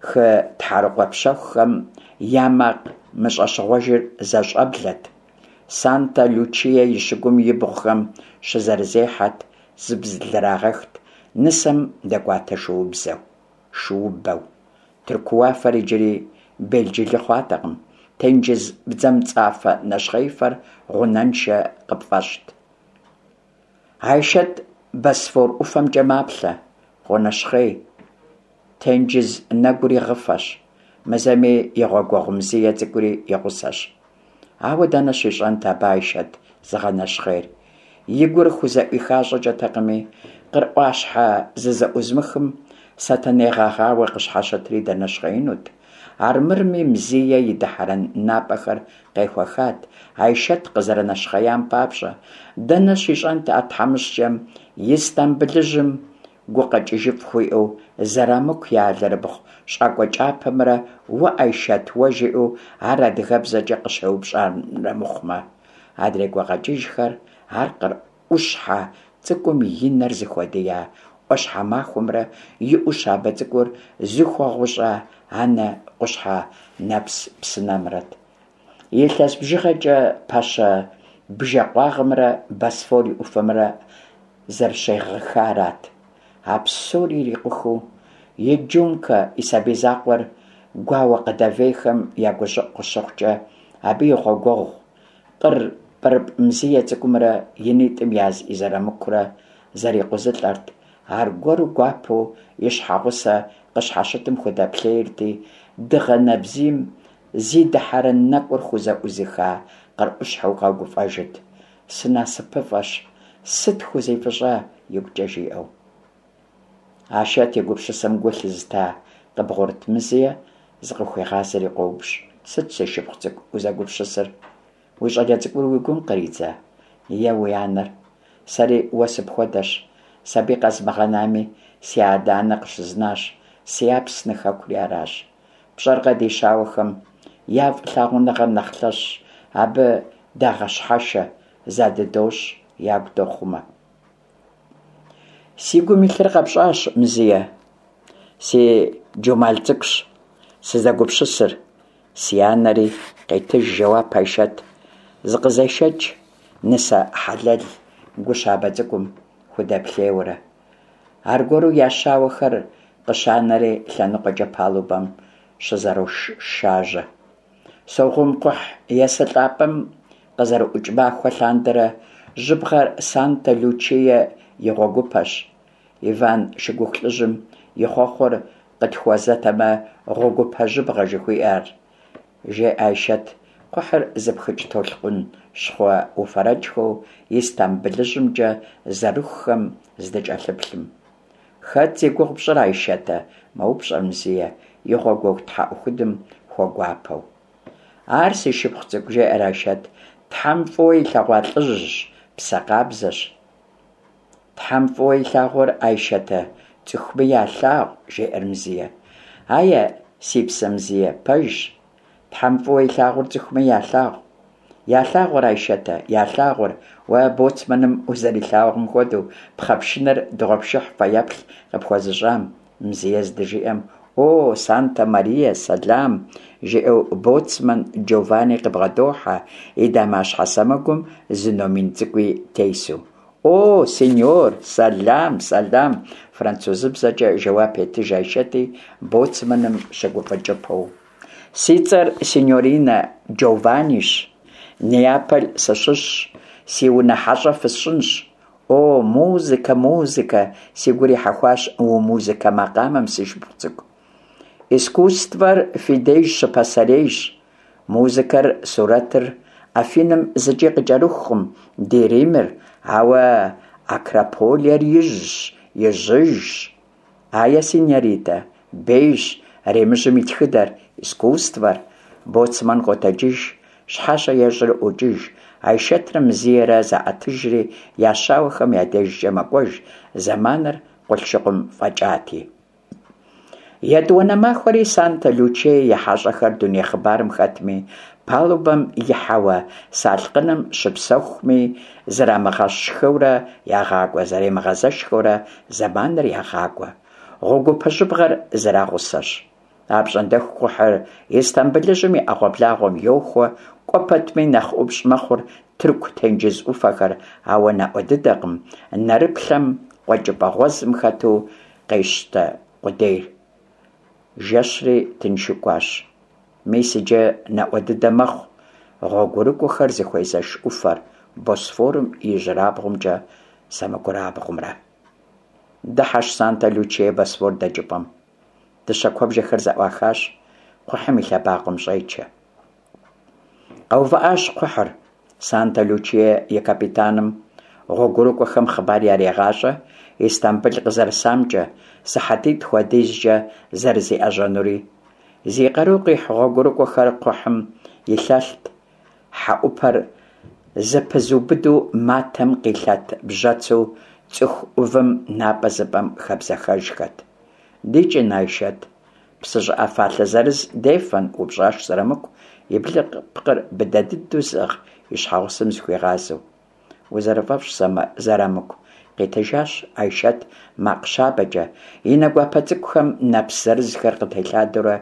хы тхьэрыкъуэ пщэхухэм я макъ мыщӏэщыгъуэжыр зэщӏэблэт. Санта-Лючие и щыгум ибгъухэм щызэрызехьэт, зыблрагъэхт, нысэм дэкӏуатэ шуубзэу, шуубэу. Тырку уафэр иджыри белджылы хъуатэкъым. тенджыз бдзэмцӏафэ нэщхъеифэр гъунэншэ къыпфӏэщӏт. Айшэт Босфор ӏуфэмкӏэ маплъэ, къонэщхъей. Тенджыз нэгури гъыфэщ, мы зэми и гъуэгуэгъу Мзие цӏыкӏури и гъусэщ. Ауэ дэнэ щищӏэнт абы Айшэт зыгъэнэщхъейр? И гур хузэӏуиха щӏыкӏэтэкъыми, къыр ӏуащхьэ зызэӏузымыхым сэтэней гъэгъауэ къыщхьэщытри дэнэщхъеинут. Армырми Мзие и дыхьэрэн напӏэхэр къехуэхат, Айшэт къызэрынэщхъеям папщӏэ. Дэнэ щищӏэнт а тхьэмыщкӏэм Истамбылыжьым гукъэкӏыжыфӏ хуиӏэу Зэрамыку и алэрыбгъу щӏакӏуэ кӏапэмрэ уэ Айшэт уэ жиӏэу ар адыгэбзэкӏэ къыщеупщӏамрэ мыхъумэ. Адрей гукъэкӏыжхэр ар къыр ӏущхьэ цӏыкӏум и нэр зыхуэдия ӏуащхьэмахуэмрэ и ӏу щабэ цӏыкӏур зыхуэгъущӏа анэ къущхьэ нэпс псынэмрэт. Илъэс бжыгъэкӏэ пэщэ бжэ къуагъымрэ Босфор и ӏуфэмрэ зэрыщегъыхарат. А псори ирикъухыу, и Джункэ и сабий закъуэр гуауэ къыдэвейхэм я гущӏыӏу къыщыхъукӏэ, абы и гъуэгуэгъу къыр пӏырыпӏ Мзие цӏыкӏумрэ и нитӏым яз и Зэрамыкурэ зэрикъузылӏэрт, аргуэру гуапэу и щхьэгъусэ къыщхьэщытым худэплъейрти, дыгъэ нэбзийм зи дыхьэрэн нэкӏур хузэӏузыха къыр ӏущхьэу къэгуфӏэжырт. Сынасыпыфӏэщ, сыт хузифӏыщӏа, игукӏэ жиӏэу. Айшэт и гупсысэм гу лъызыта къыбгъурыт Мзие зыкъыхуегъазэри къоупщӏ, Сыт, си шыпхъу цӏыкӏу, узэгупсысыр? Уи щӏалэ цӏыкӏур уи гум къридза? Е уи анэр? Сэри уэ сыпхуэдэщ. Сабий къэзмыгъэнами, си адэ-анэ къыщызнащ, си Апсны хэкури аращ. Пщӏэркъэ ди щауэхэм я фӏылъагъуныгъэр нэхъ лъэщщ, абы дагъэщхьэшэ, задыдощӏ, ягу дохъумэ. Си гум илъыр къэпщӏащ, Мзие. Си Джумал цӏыкӏущ сызэгупсысыр. Си анэри, къетыж жэуап Айшэт, зыкъызешэкӏ, нысэ хьэлэл гу щабэ цӏыкӏум худэплъейуэрэ. Аргуэру я щауэхэр къыщанэри лъэныкъуэкӏэ палубэм щызэрошажьэ. Согъум кхъухь есылӏапӏэм къызэрыӏукӏ махуэ лъандэрэ жьыбгъэр Санта-Лючие и гъуэгупэщ. Иван шыгуху лӏыжьым и хъуэхъур къытхуэзэтэмэ, гъуэгупэ жьыбгъэ жыхуиӏэр, жеӏэ Айшэт, кхъухьыр зыпхыкӏ толъкъун щхъуэ уфэрэкӏхэу Истамбылыжьымкӏэ зэрыхухэм здыкӏэлъыплъым. Хэт зи гугъу пщӏыр, Айшэтэ? мэупщӏэр Мзие, и гъуэгуэгъу тхьэӏухудым хуэгуапэу. Ар си шыпхъу цӏыкӏу, жеӏэр Айшэт, Тхьэм фӏыуэ илъэгъуа лӏыжьщ, псэ къабзэщ. Тхьэм фӏыуэ илъагъур, Айшэтэ, цӏыхуми ялъагъу, жеӏэр Мзие. Ае, си псэ Мзие, пэжщ. Тхьэм фӏыуэ илъагъур цӏыхуми ялъагъу. Ялъагъур, Айшэтэ, ялъагъур, уэ боцманым узэрилъагъум хуэдэу, пхъэ пшынэр дыгъуэпшыхь фэеплъ къыпхуэзыщӏам, Мзие здыжиӏэм, О, Санта Мария, сэлам! жиӏэу боцман Джованни къыбгъэдохьэ, и дамащхьэ сэмэгум зы номин цӏыкӏуи тесу. О, сеньор, сэлам, сэлам! французыбзэкӏэ жэуап етыж Айшэти, боцманым щыгуфӏыкӏыпэу. Си цӏэр синьоринэ Джованнищ, Неаполь сыщыщщ, си унэ хьэщӏэ фысщӏынщ. О, музыкэ, музыкэ, си гур ихьэхуащ уи музыкэ макъамэм, си шыпхъу цӏыкӏу. Искусствэр фи деж щыпасэрейщ. Музыкэр, сурэтыр Афиным зыкӏи къыкӏэрыхукъым ди Римыр, ауэ Акрополер ижьщ, ижьыжщ. Ае, синьоритэ, бейщ Римыжьым и тхыдэр, искусствэр. Боцман къотэджыж, щхьэщэ ещӏри ӏуокӏыж, Айшэтрэ Мзиерэ заӏэтыжри я щауэхэм я дежкӏэ мэкӏуэж, зэманыр къулъшыкъум фӏэкӏати. Етӏуанэ махуэри Санта-Лючие и хьэщӏэхэр дуней хъыбарым хэтми, палубэм ихьэуэ салъкъыным щыпсэхуми, зэрамыгъэщхыурэ ягъакӏуэ, зэремыгъэзэшхэурэ зэманыр ягъакӏуэ. Гъуэгупэ жьыбгъэр зэрагъусэщ. Апщӏондэху кхъухьыр Истамбылыжьым и ӏэгъуэблагъуэм йохуэ, кӏуэ пэтми нэхъ ӏупщӏ мэхъур Тырку тенджыз ӏуфэхэр, ауэ наӏуэ дыдэкъым, нэрыплъэм къуэкӏыпӏэ гъуэзым хэту къещтэ къудейр. Жэщри тыншу кӏуащ. Мис иджы наӏуэ дыдэ мэхъу гъуэгурыкӏуэхэр зыхуезэш ӏуфэр, Босфорым и ижьырабгъумкӏэ сэмэгурабгъумрэ. Дыхьэщ Санта-Лючие Босфор дэкӏыпӏэм. Дыщэ куэбжэхэр зэӏуахащ, кхъухьым и лъэбакъуэм щӏечэ. Къэувыӏащ кхъухьыр. Санта-Лючие и капитаным гъуэгурыкӏуэхэм хъыбар ярегъащӏэ Истамбыл къызэрысамкӏэ, сыхьэтитӏ хуэдизкӏэ зэрызиӏэжьэнури. Зи къару къихь гъуэгурыкӏуэхэр кхъухьым илъэлът, хьэӏупэр зэпызубыду матэм къилъэт бжьэцу цӏыху ӏувым напӏэ зыпӏэм хэбзэхэжхэт. Дикӏын, Айшэт, псы щӏыӏэ фалъэ зырыз дефэн, упщӏащ Зырамыку, и блыпкъыр быдэ дыдэу зыӏыгъ и щхьэгъусэм зыхуигъазэу. Узэрыфӏэфӏщ, Зырамыку, къитыжащ Айшэт макъ щабэкӏэ, и нэ гуапэ цӏыкӏухэм нэпс зырызхэр къытелъадэурэ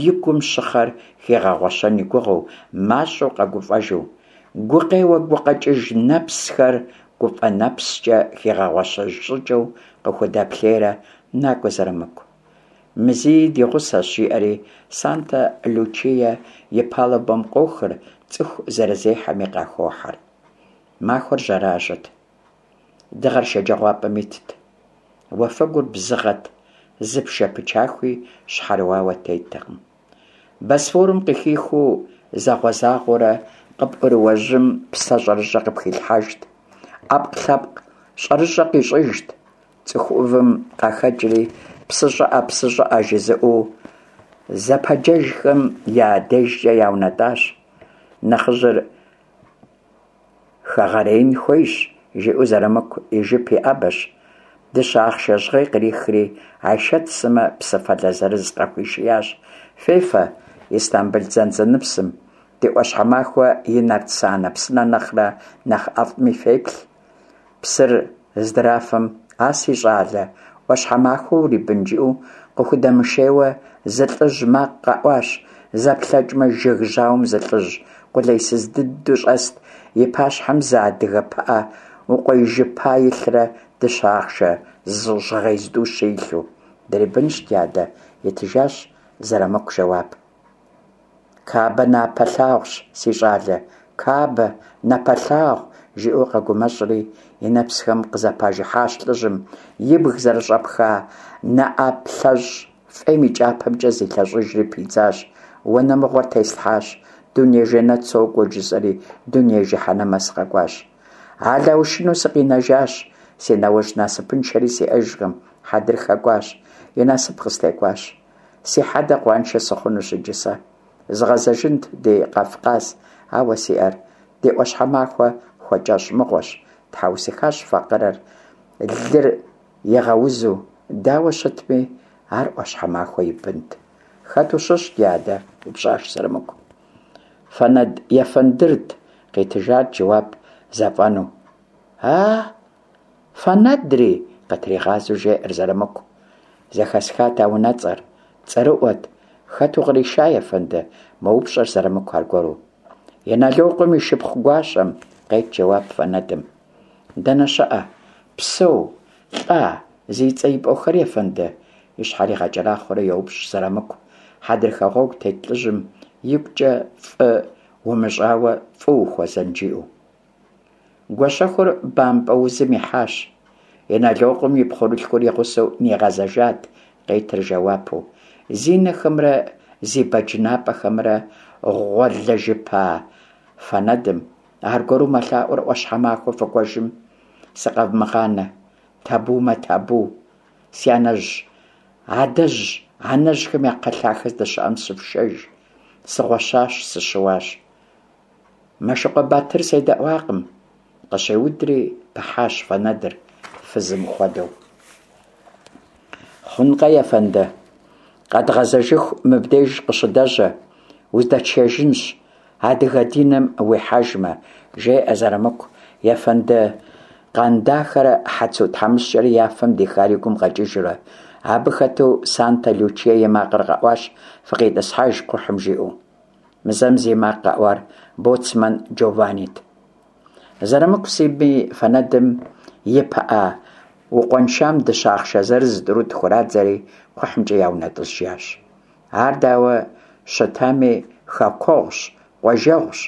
и гум щыхъэр хигъэгъуэщэн и гугъэу, мащӏэу къэгуфӏэжу. Гукъеуэ гукъэкӏыж нэпсхэр гуфӏэ нэпскӏэ хигъэгъуэщэж щӏыкӏэу къыхудэплъейрэ, Накӏуэ, Зырамыку. Мзии ди гъусэщ, жиӏэри, Санта-Лючие и палубэм къохыр, цӏыху зэрызехьэми къахохьэр. Махуэр жьэражьэт. Дыгъэр шэджагъуапӏэм итт. Уафэгур бзыгъэт, зы пшэ пычахуи щхьэрыуауэ теттэкъым. Босфорым къыхихуу загъуэ-загъуэурэ къыпӏурыуэ жьым псэ щӏэрыщӏэ къыпхилъхьэжт, ӏэпкълъэпкъ щӏэрыщӏэ къищӏыжт. Цӏыху ӏувым къахэкӏри, псы щӏыӏэ, псы щӏыӏэ жызыӏэу зэпэджэжхэм я дежкӏэ яунэтӏащ. Нэхъыжьыр хэгъэреин хуейщ, жиӏэу Зырамыку и жып иӏэбэщ, дыщэ ахъшэ жьгъей кърихри, Айшэт сымэ псы фалъэ зырыз къахуишиящ. Фефэ, Истамбыл дзэндзэныпсым, ди ӏуащхьэмахуэ и Нартсанэ псынэ нэхърэ нэхъ ӏэфӏми феплъ. Псыр здрафым, А си щӏалэ, ӏуащхьэмахуэ урибын, жиӏэу къыхудэмышейуэ зы лӏыжь макъ къэӏуащ. Зэплъэкӏмэ, жыг жьауэм зы лӏыжь къулейсыз дыдэу щӏэст, и пащхьэм зы адыгэ пыӏэ укъуеижыпа илърэ дыщэ ахъшэ жьгъей зытӏущи илъу. Дрибынщ, дядэ, итыжащ Зырамыку жэуап. Кабэ напэлъагъущ, си щӏалэ, Кабэ, напэлъагъу, жиӏэу къэгумэщӏри, и нэпсхэм къызэпажыхьащ лӏыжьым, ибг зэрыщӏэпха нэӏэплъэщӏ фӏейм и кӏапэмкӏэ зилъэщӏыжри пидзащ, Уанэ мыгъуэр теслъхьащ, дуней жэнэт сокӏуэ жысӏэри, дуней жыхьэнэмэ сыкъэкӏуащ. Алаушыну сыкъинэжащ, си нэуэжь насыпыншэри сиӏэжкъым, хьэдрыхэ кӏуащ, и насып къыстекӏуащ. Си хьэдэ къуаншэ сыхъунущ иджы сэ. Згъэзэжынт ди Къэфкъас, ауэ си ӏэр ди ӏуащхьэмахуэ хуэкӏэщӏ мыгъуэщ, тхьэусыхащ факъырэр, лыр игъэузу, дауэ щытми, ар ӏуащхьэмахуэ и бынт. Хэт ущыщ, дядэ? упщӏащ Зырамыку. Фэнэд ефэндырт, къитыжат жэуап зэфӏэну. А, Фэнэдри! къытригъазэу жеӏэр Зырамыку. Зэхэсхат а унэцӏэр. Цӏэрыӏуэт. Хэт укъриша, ефэнды? мэупщӏэр Зырамыку аргуэру. Иналокъуэм и шыпхъу гуащэм, къет жэуап Фэнэдым. Дэнэ щыӏэ? Псэу, лӏа, зи цӏэ ипӏуэхэр, ефэнды? И щхьэр игъэкӏэрахъуэрэ йоупщӏ Зырамыку. Хьэдрыхэ гъуэгу тет лӏыжьым игукӏэ фӏы умыщӏауэ фӏы ухуэзэн жиӏэу. Гуащэхур бампӏэ узым ихьащ. Иналокъуэм и пхъурылъхур и гъусэу нигъэзэжат, къетыр жэуапу. Зи нэхэмрэ зи бэдж напӏэхэмрэ гъуэлэжыпа Фэнэдым, аргуэру мэлъаӏуэр ӏуащхьэмахуэ фыкӏуэжым, сыкъэвмыгъанэ, табумэ табу, си анэжь, адэжь, анэжьхэм я кхъэлъахэ здэщыӏэм сыфшэж, сыгъуэщащ, сыщыуащ. Мэшыкъуэ Батыр седэӏуакъым, къыщеудри пыхьащ Фэнэдыр фызым хуэдэу. Хъункъэ, ефэнды, къэдгъэзэжыху мыбдеж къыщыдэжьэ, уздэтшэжынщ, адыгэ диным уихьэжмэ, жеӏэ Зырамыку, ефэнды Къандахэрэ Хьэцу тхьэмыщкӏэрэ я фэм дихар и гум къэкӏыжурэ. Абы хэту Санта-Лючие и макъыр къэӏуащ, фыкъитӏысхьэж кхъухьым жиӏэу. Мы зэм зи макъ къэӏуар боцман Джованнит. Зырамыку сыми Фэнэдым и пыӏэ укъуэншам дыщэ ахъшэ зырыз тӏурытӏ хурадзэри кхъухьымкӏэ яунэтӏыжащ. Ар дауэ? щытами, хэкуэгъущ, къуажэгъущ,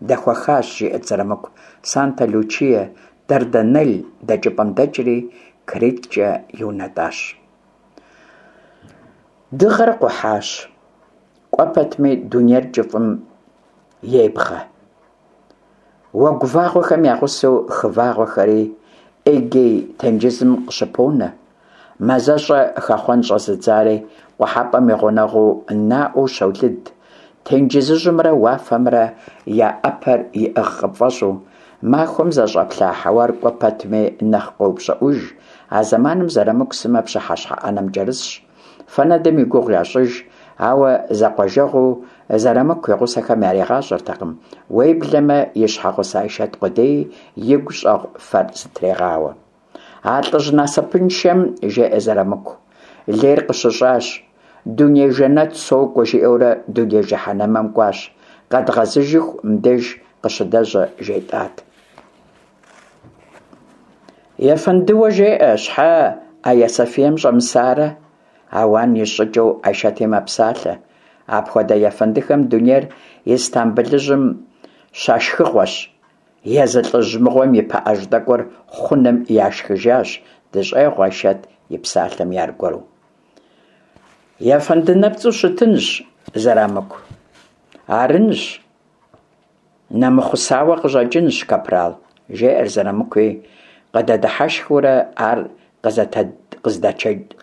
дэхуэхащ, жиӏэрт Зырамыку. Санта-Лючие Дарданелл дэкӏыпӏэм дэкӏри, Криткӏэ иунэтӏащ. Дыгъэр къухьащ. Кӏуэ пэтми дунейр кӏыфӏым ебгъэ. Уэгу вагъуэхэм я гъусэу хы вагъуэхэри Эгей тенджызым къыщыпонэ. Мазэщӏэ хэхъуэн щӏэзыдзари къухьэпӏэм и гъунэгъуу наӏуэу щолыд, тенджызыжьымрэ уафэмрэ я ӏэпэр иӏыгъ къыпфӏэщӏу. Махуэм зэщӏэплъа хьэуар кӏуэ пэтми нэхъ къоупщӏыӏуж, а зэманым Зырамыку сымэ пщыхьэщхьэ ӏэнэм кӏэрысщ. Фэнэдым и гугъу ящӏыж, ауэ зэкъуажэгъуу Зырамыку и гъусэхэм яригъащӏэртэкъым, уеблэмэ и щхьэгъусэ Айшэт къудеи игу щӏэгъу фэр зытрегъауэ. А лӏыжь насыпыншэм, жеӏэ Зырамыку, лейр къыщыщӏащ, дуней жэнэт сокӏуэ жиӏэурэ дуней жыхьэнэмэм кӏуащ, къэдгъэзыжыху мыбдеж къыщыдэжьэ жетӏат. Ефэндыуэ жеӏэ, щхьэ Айя Софием щӏэмысарэ? Ауан ищӏ щӏыкӏэу Айшэти мэпсалъэ. Апхуэдэ ефэндыхэм дунейр Истамбылыжьым щашхыгъуэщ. Езы лӏыжь мыгъуэм и пыӏэжь тӏэкӏур хъуным яшхыжащ, дыщӏегъу Айшэт и псалъэми аргуэру. Ефэнды нэпцӏу щытынщ, Зырамыку. Арынщ. Нэмыхъусауэ къыщӏэкӏынщ, капрал, жеӏэр Зырамыкуи, къыдэдыхьэшхыурэ ар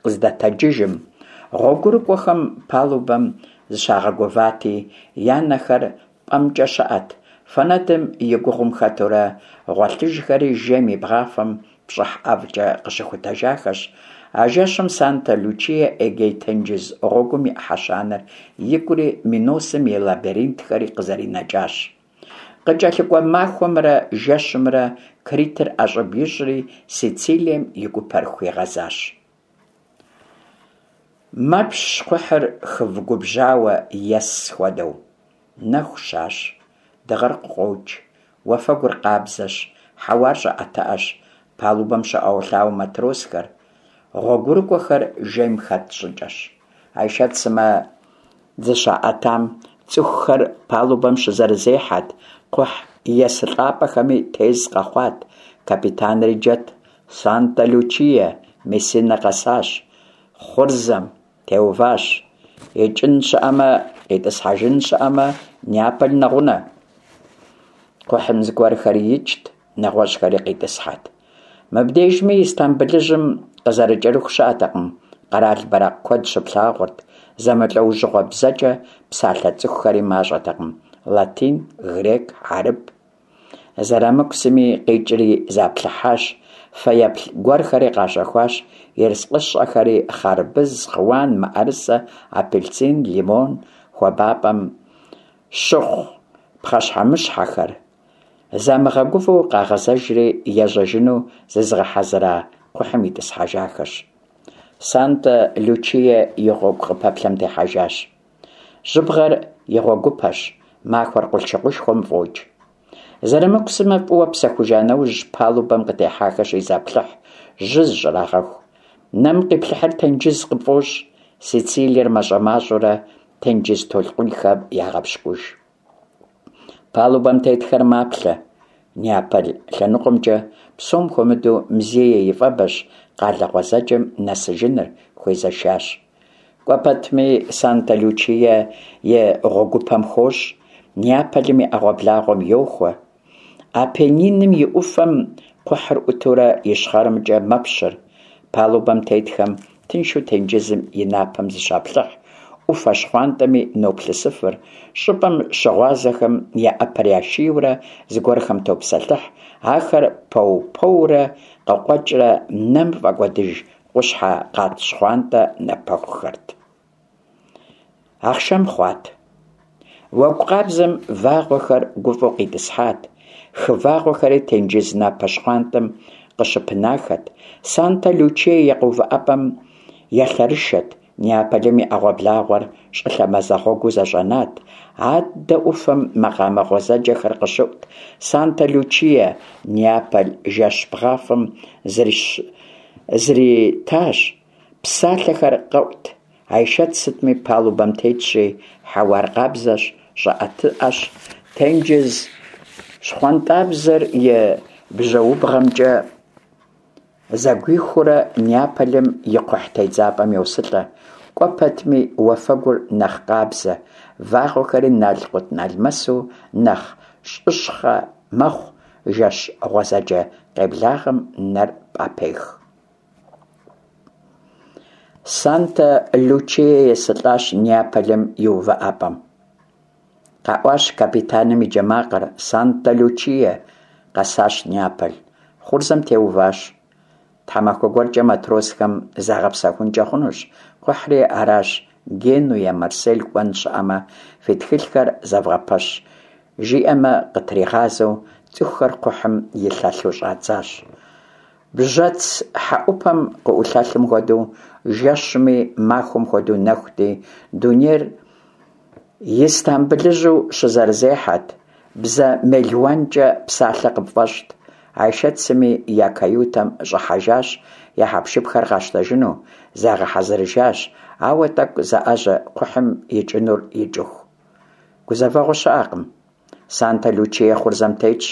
къыздэтэджыжым, гъуэгурыкӏуэхэм палубэм зыщагъэгувати, я нэхэр пӏэмкӏэ щыӏэт, фэнэдым и гугъум хэтурэ гъуэлъыжхэри жейм и бгъафэм пщӏыхь ӏэфӏкӏэ къыщыхутэжахэщ. А жэщым Санта-Лючие Эгей тенджыз гъуэгум и ӏыхьэ щанэр икӏури Миносым и лабиринтхэри къызэринэкӏащ. Къыкӏэлъыкӏуэ махуэмрэ жэщымрэ Критыр ӏэщӏыб ищӏри, Сицилием и гупэр хуигъэзащ. Мэпщ кхъухьыр хыв губжьауэ ес хуэдэу. Нэху щащ. Дыгъэр къыкъуокӏ. Уафэгур къабзэщ, хьэуар щӏыӏэтыӏэщ, палубэм щоӏэуэлъауэ матросхэр. Гъуэгурыкӏуэхэр жейм хэт щӏыкӏэщ. Айшэт сымэ зыщаӏэтам цӏыхухэр палубэм щызэрызехьэт, кхъухь есылӏапӏэхэми тез къэхъуат, капитанри джэт, Санта-Лючие Мессинэ къэсащ, хъурзэм теуващ, икӏын щыӏэмэ, къитӏысхьэжын щыӏэмэ, Неаполь нэгъунэ. Кхъухьым зыгуэрхэри икӏт, нэгъуэщӏхэри къитӏысхьэт. Мыбдежми Истамбылыжьым къызэрыкӏэрыху щыӏэтэкъым, къэрал бэракъ куэд щыплъагъурт, зэмылӏэужьыгъуэ бзэкӏэ псалъэ цӏыхухэри мащӏэтэкъым, латин, грек, хьэрып. Зырамыку сыми къикӏри заплъыхьащ, фэеплъ гуэрхэри къащэхуащ, ерыскъыщӏэхэри, хъарбыз, хъыуан, мыӏэрысэ, апельсин, лимон, хуабапӏэм щыхъу пхъэщхьэмыщхьэхэр. Замыгъэгувэу къагъэзэжри, ежьэжыну зызыгъэхьэзыра кхъухьым итӏысхьэжахэщ. Санта-Лючие и гъуэгу къыпэплъэм техьэжащ. Жьыбгъэр и гъуэгупэщ, махуэр къулъшыкъушхуэм фӏокӏ. Зырамыку сымэ фӏыуэ псэхужа нэужь, палубэм къытехьахэщи заплъыхь, жьы зыщӏрагъэху. Нэм къиплъыхьыр тенджыз къыпфӏощӏ, Сицилиер мащӏэ-мащӏэурэ тенджыз толъкъунхэм ягъэпщкӏуж. Палубэм тетхэр маплъэ. Неаполь лъэныкъуэмкӏэ, псом хуэмыдэу Мзие и фӏэбэщ къалэ гъуэзэджэм нэсыжыныр хуезэшащ. Кӏуэ пэтми Санта-Лючие и гъуэгупэм хощӏ, Неаполым и ӏэгъуэблагъуэм йохуэ. Апенниным и ӏуфэм кхъухьыр ӏутурэ ищхъэрэмкӏэ мэпщыр. Палубэм тетхэм тыншу тенджызым и напэм зыщаплъыхь, ӏуфэ щхъуантӏэми ноплъысыфыр, щӏыпӏэм щыгъуазэхэм я ӏэпэр яшийурэ зыгуэрхэм топсэлъыхь, ахэр пэу-пэурэ къыкъуэкӏрэ нэм фӏэкӏуэдыж къущхьэ къат щхъуантӏэ напэхухэрт. Ахъшэм хъуат. Уэгу къабзэм вагъуэхэр гуфӏэу къитӏысхьат, хы вагъуэхэри тенджыз напэ щхъуантӏэм къыщыпынахэт, Санта-Лючие и къэувыӏэпӏэм елъэрышэт, Неаполым и ӏэгъуэблагъуэр щӏылъэ мазэгъуэгуу зэщӏэнат, аддэ ӏуфэм макъамэ гъуэзэджэхэр къыщыӏут, Санта-Лючие Неаполь жэщ бгъафэм зритащ, псалъэхэр къэӏут. Айшэт сытми палубэм тетщи, хьэуар къабзэщ, щӏыӏэтыӏэщ, тенджыз щхъуантӏабзэр и бжьэубгъэмкӏэ зэгуихыурэ Неаполым и кхъухь тедзапӏэм йосылӏэ. Кӏуэ пэтми уафэгур нэхъ къабзэ, вагъуэхэри налкъут-налмэсу нэхъ щӏыщхъэ мэхъу, жэщ гъуэзэджэ къеблагъэм нэр пӏэпех. Санта-Лючие есылӏащ Неаполым и увыӏэпӏэм. Къэӏуащ капитаным и джэ макъыр: Санта-Лючие! Къэсащ Неаполь. Хъурзэм теуващ. Тхьэмахуэ гуэркӏэ матросхэм загъэпсэхункӏэ хъунущ, кхъухьри аращ, Генуе, Марсель кӏуэн щыӏэмэ, фи тхылъхэр зэвгъэпэщ, жиӏэмэ къытригъазэу, цӏыхухэр кхъухьым илъэлъу щӏадзащ. Бжьэц хьэӏупэм къыӏулъэлъым хуэдэу, жэщми махуэм хуэдэу нэхути, дунейр Истамбылыжьу щызэрызехьэт, бзэ мелуанкӏэ псалъэ къыпфӏэщӏт. Айшэт сыми я каютэм щӏыхьэжащ, я хьэпшыпхэр къащтэжыну, загъэхьэзырыжащ, ауэ тӏэкӏу заӏэжьэ кхъухьым икӏынур икӏыху. Гузэвэгъуэ щыӏэкъым. Санта-Лючие хъурзэм тетщ,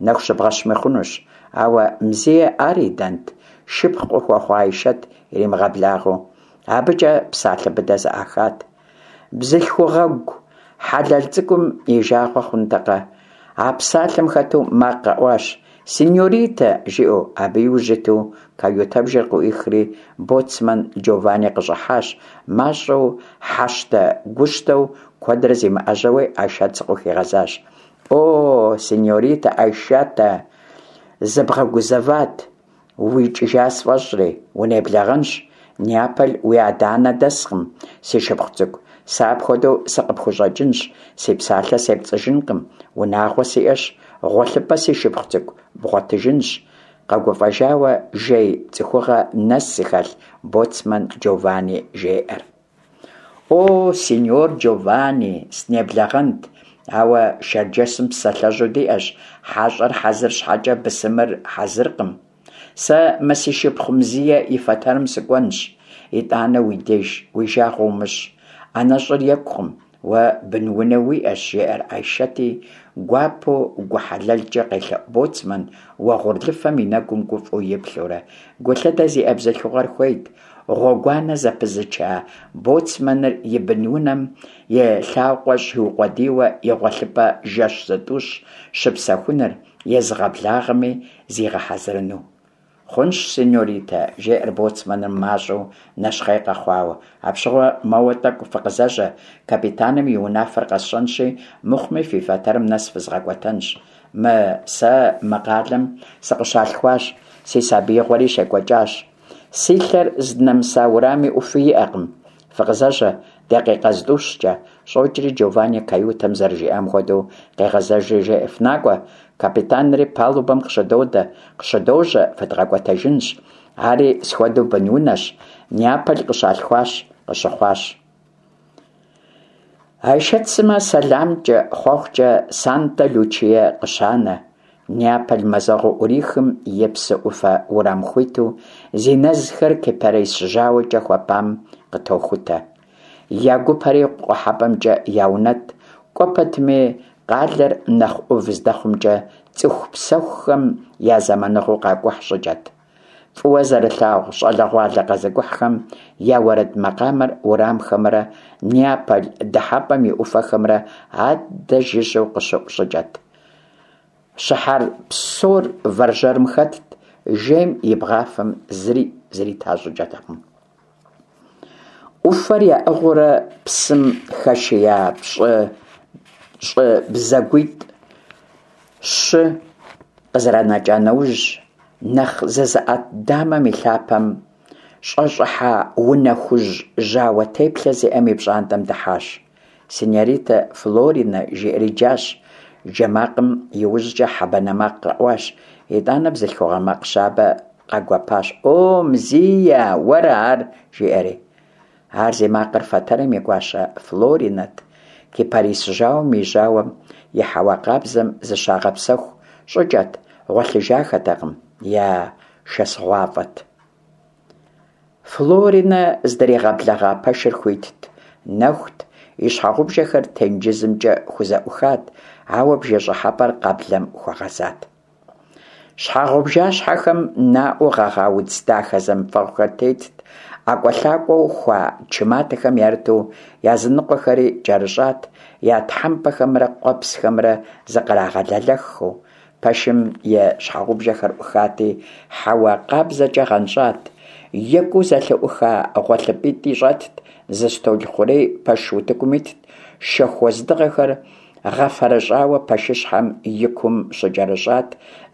нэху щыбгъэщми хъунущ, ауэ Мзие ар идэнт, шыпхъу къыхуэхъуа Айшэт иримыгъэблагъэу. Абыкӏэ псалъэ быдэ зэӏахат. Бзылъхугъэгу хьэлэл цӏыкӏум и жагъуэ хъунтэкъэ? А псалъэм хэту макъ къэӏуащ, Синьоритэ! жиӏэу, абы иужь иту каютэбжэр къыӏуихри, боцман Джованни къыщӏыхьащ, мащӏэу хьэщтэ-гущтэу куэдрэ зимыӏэжьэуи Айшэт зыкъыхуигъэзащ. О, синьоритэ Айшэтэ, зыбгъэгузэват, уикӏыжа сфӏэщӏри, унеблэгъэнщ. Неаполь уи адэ-анэ дэскъым, си шыпхъу цӏыкӏу. Сэ апхуэдэу сыкъыпхущӏэкӏынщ, си псалъэ сепцӏыжынкъым, унагъуэ сиӏэщ, гъуэлъыпӏэ си шыпхъу цӏыкӏу бгъуэтыжынщ, къэгуфӏэжауэ жей цӏыхугъэ нэс зыхэлъ боцман Джованни жеӏэр. О, синьор Джованни, сынеблэгъэнт, ауэ Шэрджэсым псалъэжьу диӏэщ, хьэщӏэр хьэзыр щхьэкӏэ бысымыр хьэзыркъым. Сэ мы си шыпхъу Мзие и фэтэрым сыкӏуэнщ, итӏанэ уи деж, уи жагъуэ умыщӏ. ӏэнэщӏыр екӏукъым, уэ бынунэ уиӏэщ, жеӏэр Айшэти, гуапэу гу хьэлэлкӏэ къелъэӏу боцман уэгъурлыфэм и нэгум гуфӏэу иплъэурэ. Гулъытэ зиӏэ бзылъхугъэр хуейт, гъуэгуанэ зэпызыча боцманыр и бынунэм и лъакъуэ щиукъуэдийуэ и гъуэлъыпӏэ жэщ зытӏущ щыпсэхуныр, езыгъэблагъэми зигъэхьэзырыну. Хъунщ, синьоритэ, жеӏэр боцманыр мащӏэу нэщхъей къэхъуауэ. Апщыгъуэ моуэ тӏэкӏу фыкъызэжьэ, капитаным и унафэр къэсщӏэнщи, мыхъуми фи фэтэрым нэс фызгъэкӏуэтэнщ. Мы сэ мы къалэм сыкъыщалъхуащ, си сабиигъуэри щекӏуэкӏащ. Си лъэр здынэмыса урами ӏуфи иӏэкъым. Фыкъызэжьэ, дакъикъэ зытӏущкӏэ, щӏокӏри Джованни каютэм зэрыжиӏам хуэдэу къегъэзэжри жеӏэ, Фынакӏуэ, капитанри палубэм къыщыдодэ, къыщыдожьэ, фыдгъэкӏуэтэжынщ. Ари схуэдэу бынунэщ, Неаполь къыщалъхуащ, къыщыхъуащ. Айшэт сымэ сэламкӏэ, хъуэхъукӏэ Санта-Лючие къыщанэ. Неаполь мазэгъуэ ӏурихым и псы ӏуфэ урам хуиту зи нэзхэр кипарис жьауэкӏэ хуэпам къытохутэ. Я гупэри къухьэпӏэмкӏэ яунэтӏ, кӏуэ пэтми къалэр нэхъ ӏув здэхъумкӏэ цӏыху псэхухэм я зэманыгъуэу къакӏухь щӏыкӏэт. Фӏыуэ зэрылъагъу щӏалэгъуалэ къэзыкӏухьхэм я уэрэд макъамэр уэрамхэмрэ Неаполь дыхьэпӏэм и ӏуфэхэмрэ аддэ жыжьэу къыщыӏу щӏыкӏэт. Щыхьэр псор вэржьэрым хэтт, жейм и бгъафэм зыри зрита щӏыкӏэтэкъым. ӏуфэр яӏыгъыурэ псым хэшия пщӏы щӏы бзэгуитӏ-щы къызэранэкӏа нэужь, нэхъ зызыӏэт дамэм и лъапэм щӏэщӏыхьа унэ хужь жьауэ теплъэ зиӏэм и пщӏантӏэм дыхьащ. Синьоритэ Флоринэ жиӏэри джащ. Джэ макъым иужькӏэ хьэ банэ макъ къэӏуащ. Итӏанэ бзылъхугъэ макъ щабэ къэгуэпащ. О, Мзия, уэра ар? жиӏэри. Ар зи макъыр фэтэрым и гуащэ Флоринэт. Кипарис жьауэм и жьауэм и хьэуа къабзэм зыщагъэпсэху щӏыкӏэт, гъуэлъыжахэтэкъым, я шэсыгъуафӏэт. Флоринэ здригъэблэгъа пэшыр хуитт, нэхут, и щхьэгъубжэхэр тенджызымкӏэ хузэӏухат, ауэ бжэ щӏыхьэпӏэр къэблэм хуэгъэзат. Щхьэгъубжащхьэхэм наӏуэу гъэгъа удз дахэ зэмыфэгъухэр тетт, ӏэкӏуэлъакӏуэу хуа чы матэхэм ярыту языныкъуэхэри кӏэрыщӏат, я тхьэмпэхэмрэ къуэпсхэмрэ зыкърагъэлэлэххэу. Пэшым и щхьэгъубжэхэр ӏухати, хьэуа къабзэкӏэ гъэнщӏат. Екӏуу зэлъыӏуха гъуэлъыпӏитӏи щӏэтт, зы стӏол хъурей пэш утыкум итт, шэху уэздыгъэхэр гъэфэрэщӏауэ пэшыщхьэм и кум щыкӏэрыщӏат,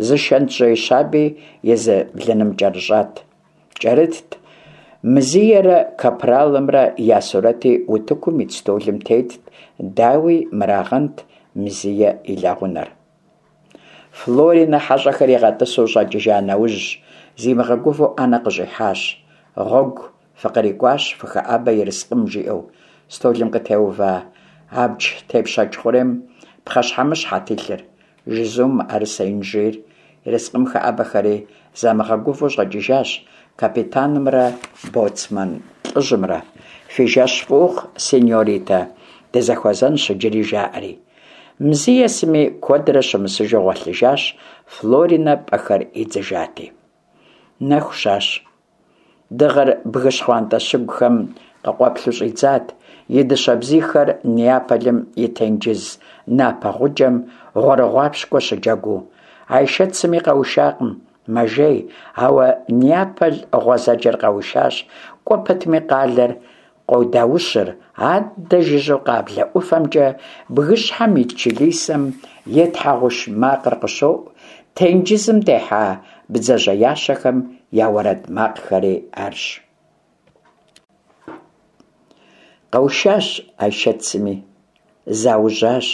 зы шэнтжьей щаби езы блыным кӏэрыщӏат. Кӏэрытт. Мзиерэ капралымрэ я сурэти утыкум ит стӏолым тетт, дауи, мырагъэнт Мзие и лэгъунэр. Флоринэ хьэщӏэхэр игъэтӏысу щӏэкӏыжа нэужь, зимыгъэгувэу ӏэнэ къыщӏихьащ. Гъуэгу фыкърикӏуащ, фыхэӏэбэ ерыскъым, жиӏэу. Стӏолым къытеува абдж тепщэч хъурейм пхъэщхьэмыщхьэт илъыр, жызум, мыӏэрысэ, инжир. Ерыскъым хэӏэбэхэри замыгъэгувэу щӏэкӏыжащ капитанымрэ боцман лӏыжьымрэ. Фи жэщ фӏы ухъу, сеньоритэ, дызэхуэзэнщ иджыри, жаӏэри. Мзие сыми куэдрэ щымысыжу гъуэлъыжащ, Флоринэ пӏэхэр идзыжати. Нэху щащ. Дыгъэр бгы щхъуантӏэ щыгухэм къыкъуэплъу щӏидзат, и дыщэ бзийхэр Неаполым и тенджыз напэ гъуджэм гъуэрыгъуапщкӏуэ щыджэгуу. Айшэт сыми къэушакъым, мэжей, ауэ Неаполь гъуэзэджэр къэушащ, кӏуэ пэтми къалэр къодаущыр, аддэ жыжьэу къаблэ ӏуфэмкӏэ бгыщхьэм ит чылисэм и тхьэгъуш макъыр къыщоӏу, тенджызым техьа бдзэжьеящэхэм я уэрэд макъхэри арщ. Къэушащ Айшэт сыми, заужьащ.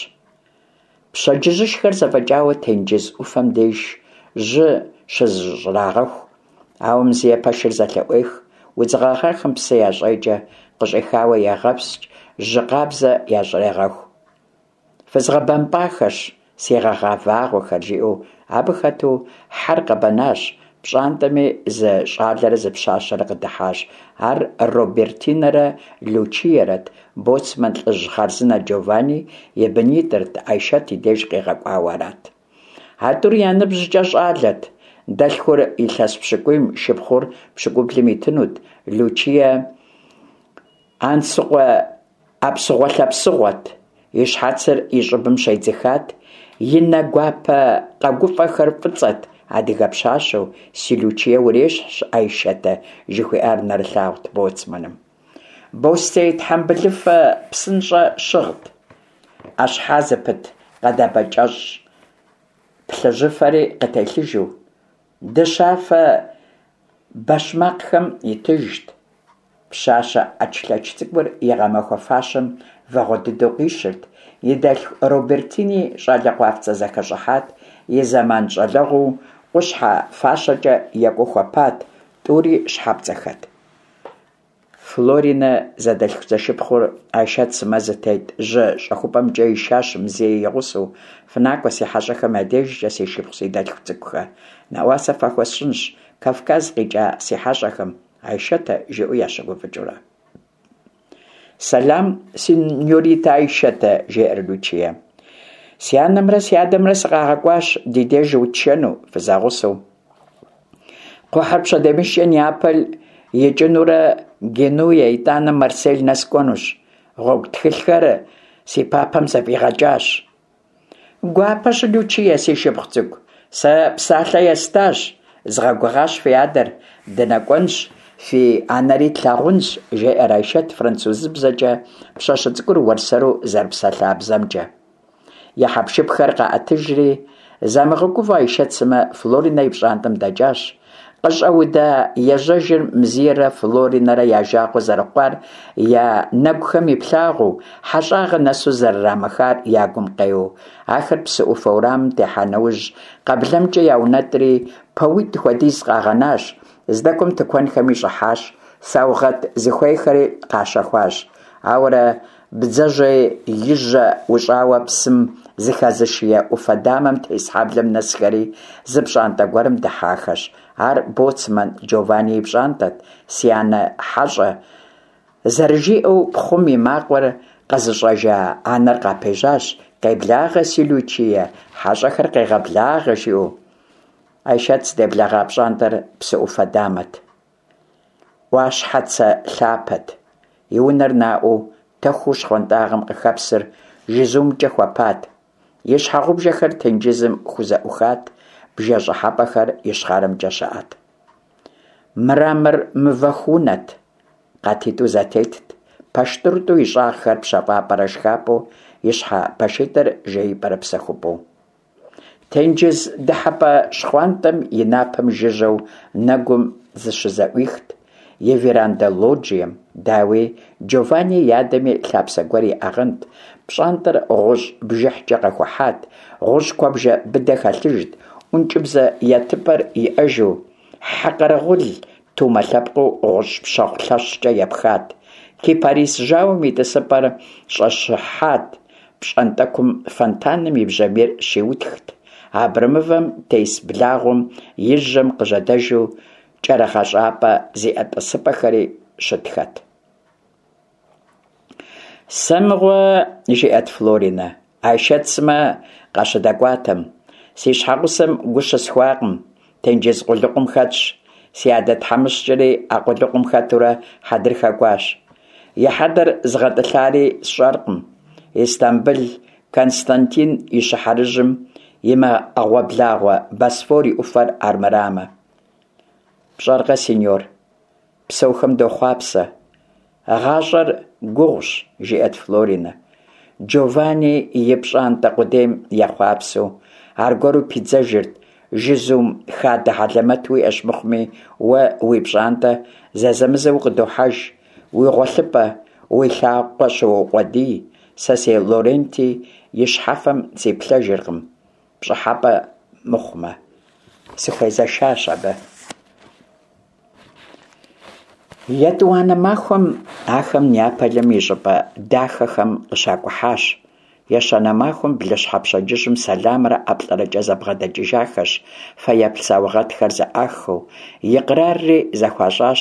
Пщэдджыжьышхэр зэфӏэкӏауэ тенджыз ӏуфэм деж жьы щызыщӏрагъэху, ауэ Мзие пэшыр зэлъыӏуех, удз гъэгъахэм псы ящӏекӏэ, къыщӏихауэ егъэпскӏ, жьы къабзэ ящӏрегъэху. Фызгъэбэмпӏахэщ, си гъэгъа вагъуэхэр, жиӏэу абы хэту хьэр къэбэнащ, пщӏантӏэми зы щӏалэрэ зы пщащэрэ къыдыхьащ. Ар Робертинэрэ Лючиерэт, Боцман лӏыжь хъарзынэ Джованни и бынитӏырт, Айшэт и деж къигъэкӏуауэ арат. А тӏур я ныбжькӏэ щӏалэт, дэлъхур илъэс пщыкӏуийм, шыпхъур пщыкӏублым итынут, Лючие Ансыкъуэ ӏэпсыгъуэлъэпсыгъуэт, и щхьэцыр и щӏыбым щедзыхат, и нэ гуапэ къэгуфӏэхэр фӏыцӏэт, адыгэ пщащэу, си Лючие урещхьщ, Айшэтэ, жыхуиӏар нэрылъагъут боцманым. Бостей тхьэмбылыфэ псынщӏэ щыгът, ӏэщхьэ зыпыт къэдабэ кӏэщӏ плъыжьыфэри къытелъыжу, дыщафэ бэщмакъхэм итыжт. Пщащэ ӏэчлъэч цӏыкӏур и гъэмахуэ фащэм вагъуэ дыдэу къищырт, и дэлъху Робертини щӏалэ къуафцӏэ зэхэщӏыхьат, и зэман щӏалэгъуэу къущхьэ фащэкӏэ екӏуу хуэпат, тӏури щхьэпцӏэхэт. Флоринэ зэдэлъху-зэшыпхъур Айшэт сымэ зытет жьы щӏэхупӏэмкӏэ ишащ Мзие и гъусэу, Фынакӏуэ си хьэщӏэхэм я дежкӏэ, си шыпхъу, си дэлъху цӏыкӏухэ. Нэӏуасэ фахуэсщӏынщ Кавказ къикӏа си хьэщӏэхэм, Айшэтэ, жиӏэу ящыгуфӏыкӏыурэ. Сэлам, синьоритэ Айшэтэ, жеӏэр Лючие. Си анэмрэ си адэмрэ сыкъагъэкӏуащ ди деж утшэну, фызэгъусэу. Кхъухьыр пщэдеймыщкӏэ Неаполь икӏынурэ Генуе, итӏанэ Марсель нэс кӏуэнущ. Гъуэгу тхылъхэр си папэм зэфӏигъэкӏащ. Гуапэщ, Лючие, си шыпхъу цӏыкӏу. Сэ псалъэ естащ, згъэгугъащ фи адэр, дынэкӏуэнщ, фи анэри тлъагъунщ, жеӏэр Айшэт французыбзэкӏэ, пщащэ цӏыкӏур уэрсэру зэрыпсэлъа бзэмкӏэ. Я хьэпшыпхэр къаӏэтыжри, замыгъэгувэу Айшэт сымэ Флоринэ и пщӏантӏэм дэкӏащ. Къыщӏэуда ежьэжыр Мзиерэ Флоринэрэ я жагъуэ зэрыхъуар я нэгухэм иплъагъуэу, хьэщӏагъэ нэсу зэрырамыхар я гум къеуэу. Ахэр псы ӏуфэ уэрамым техьа нэужь, къэблэмкӏэ яунэтӏри, пэуитӏ хуэдиз къагъэнащ, здэкӏуэм тыкуэнхэми щӏыхьащ, саугъэт зыхуейхэри къащэхуащ. Ауэрэ Бдзэжьей и жьэ ущӏауэ псым зыхэзышие ӏуфэ дамэм тес хьэблэм нэсхэри, зы пщӏантӏэ гуэрым дыхьахэщ. Ар боцман Джованни и пщӏантӏэт, си анэ хьэщӏэ зэрыжиӏэу пхъум и макъыр къэзыщӏэжа анэр къапежьащ, Къеблагъэ, си Лючие, хьэщӏэхэр къегъэблагъэ, жиӏэу. Айшэт здеблэгъа пщӏантӏэр псы ӏуфэ дамэт. ӏуащхьэцэ лъапэт. И унэр наӏуэу, тэхуу щхъуантӏагъэм къыхэпсыр жызумкӏэ хуэпат. И щхьэгъубжэхэр тенджызым хузэӏухат, бжэ щӏыхьэпӏэхэр ищхъэрэмкӏэ щыӏэт. Мрамор мывэху унэт, къатитӏу зэтетт, пэш тӏурытӏу и щӏагъхэр пщэфӏапӏэрэ шхапӏэу, ищхьэ пэшитӏыр жеипӏэрэ псэхупӏэу. Тенджыз дыхьэпӏэ щхъуантӏэм и напэм жыжьэу нэгум зыщызэӏуихт, и верандэ-лоджием, дауи, Джованни и адэми лъапсэ гуэр иӏэгъэнт, пщӏантӏэр гъущӏ бжыхькӏэ къэхухьат, гъущӏ куэбжэ быдэ хэлъыжт, ӏункӏыбзэ етыпӏэр иӏэжу, хьэ къэрэгъул тумэ лъэпкъыу гъущӏ пщэхъу лъэщкӏэ епхат, кипарис жьауэм и тӏысыпӏэр щӏэщыхьат, Пщӏантӏэкум фонтаным и бжьамийр щиутхт, абрэмывэм тес благъуэм и жьэм къыжьэдэжу кӏэрыгъэщӏапӏэ зиӏэ тӏысыпӏэхэри щытхэт. Сэ мыгъуэ, жиӏэт Флоринэ, Айшэт сымэ къащыдэкӏуатэм, си щхьэгъусэм гу щысхуакъым, тенджыз къулыкъум хэтщ, си адэ тхьэмыщкӏэри а къулыкъум хэтурэ хьэдрыхэ кӏуащ. И хьэдэр зыгъэтӏылъари сщӏэркъым. Истамбыл Константин и щыхьэрыжьым и мыӏэгъуэблагъуэ Босфор и ӏуфэр армырамэ. Пщӏэркъэ, синьор, псэухэм дохъуапсэ. Гъащӏэр гугъущ, жиӏэт Флоринэ. Джованни и пщӏантӏэ къудейм ехъуапсэу, аргуэру пидзэжырт, Жызум хадэ хьэлэмэт уиӏэщ мыхъуми, уэ уи пщӏантӏэ зэзэмызэ укъыдохьэж, уи гъуэлъыпӏэ, уи лъакъуэ щыуокъуэдий, сэ си Лоренти и щхьэфэм сиплъэжыркъым, пщӏыхьэпӏэ мыхъумэ. Сыхуезэшащ абы. Етӏуанэ махуэм ахэм Неаполым и щӏыпӏэ дахэхэм къыщакӏухьащ. Ещанэ махуэм блыщхьэ пщэдджыжьым сэламрэ ӏэплӏэрэкӏэ зэбгъэдэкӏыжахэщ, фэеплъ саугъэтхэр зэӏахыу, икърарри зэхуащӏащ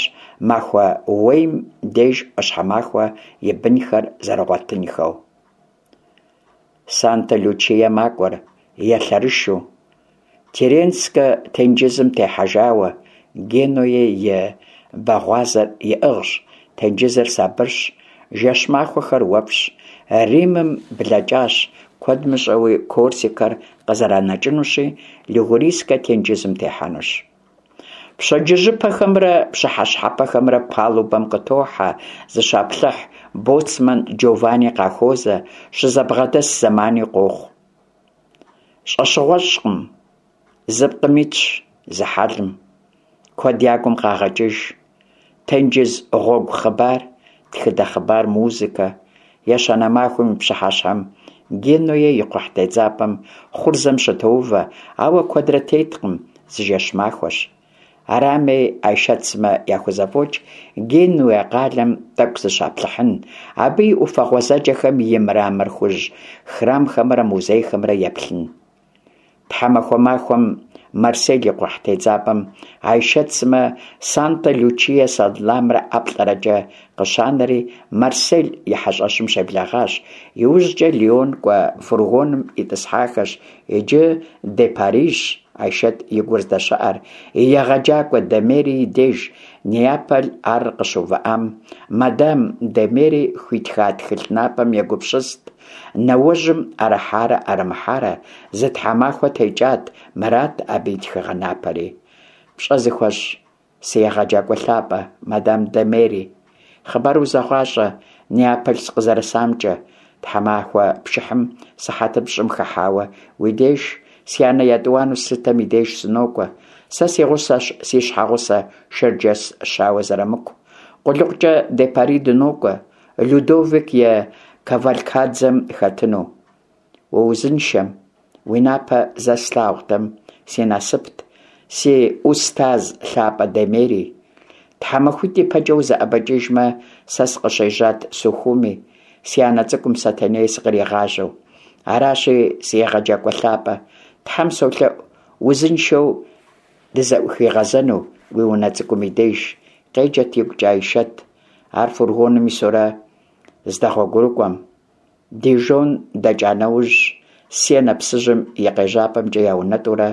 махуэ уейм деж ӏуащхьэмахуэ и бынхэр зэрыгъуэтынхэу. Санта-Лючие макӏуэр, елъэрышу. Тирренскэ тенджызым техьэжауэ, Генуе и бэгъуазэр иӏыгъщ, тенджызыр сабырщ, жэщ-махуэхэр уэфӏщ. Римым блэкӏащ, куэд мыщӏэуи Корсикэр къызэранэкӏынущи, Лигурийскэ тенджызым техьэнущ. Пщэдджыжьыпэхэмрэ пщыхьэщхьэпэхэмрэ палубэм къытохьэ, зыщаплъыхь, боцман Джованни къахуозэ, щызэбгъэдэс зэмани къохъу. Щӏэщыгъуэщӏкъым, зы пкъым итщ, зы хьэлым. Куэд я гум къагъэкӏыж. Тенджыз гъуэгу хъыбар, тхыдэ хъыбар, музыкэ. Ещанэ махуэм и пщыхьэщхьэм Генуе и кхъухь тедзапӏэм хъурзэм щытоувэ, ауэ куэдрэ теткъым, зы жэщ-махуэщ. Арами, Айшэт сымэ яхузэфӏокӏ Генуе къалэм тӏэкӏу зыщаплъыхьын, абы и ӏуфэ гъуэзэджэхэм и мрамор хужь храмхэмрэ музейхэмрэ еплъын. Тхьэмахуэ махуэм Марсель и кхъухь тедзапӏэм Айшэт сымэ Санта-Лючие сэламрэ ӏэплӏэрэкӏэ къыщанэри, Марсель и хьэщӏэщым щеблэгъащ. Иужькӏэ Лион кӏуэ фургоным итӏысхьахэщ, иджы де Парижщ Айшэт и гур здэщыӏэр, и егъэджакӏуэ де Мери и деж, Неаполь ар къыщыувыӏам, мадам де Мери хуитха тхылъ напэм егупсыст. Нэуэжьым ӏэрыхьарэ ӏэрымыхьарэ, зы тхьэмахуэ текӏат, мырат абы и тхыгъэ напэри. Пщӏэ зыхуэсщӏ си егъэджакӏуэ лъапӏэ, мадам де Мери. Хъыбар узэгъащӏэ Неаполь сыкъызэрысамкӏэ. Тхьэмахуэ пшыхьым сыхьэтыр пщӏым хыхьауэ уи деж, си анэ етӏуанэу слъытэм и деж сынокӏуэ. Сэ си гъусэщ си щхьэгъусэ Шэрджэс щауэ Зырамыку. Къулыкъукӏэ де Пари дынокӏуэ. Людовик и кавалькадзэм хэтыну. Уузыншэм, уи напэ зэ слъагъутэм, си насыпт, си ӏустаз лъапӏэ де Мери. Тхьэмахуитӏ ипэкӏэ узэӏэбэкӏыжмэ, сэ сыкъыщежьат Сухуми, си анэ цӏыкӏум Сэтэней сыкъригъажьэу. Аращи, си егъэджакӏуэ лъапӏэ, Тхьэм солъэӏу, узыншэу. дызэӏухигъэзэну уи унэ цӏыкӏум и деж, къеджэт игукӏэ Айшэт, ар фургоным исурэ здэгъуэгурыкӏуэм. Дижон дэкӏа нэужь, Сенэ псыжьым и къежьапӏэмкӏэ яунэтӏурэ,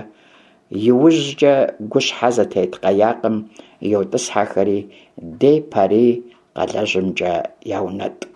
иужькӏэ гущхьэ зытет къаякым йотӏысхьэхэри, де Пари къалэжьымкӏэ яунэтӏ.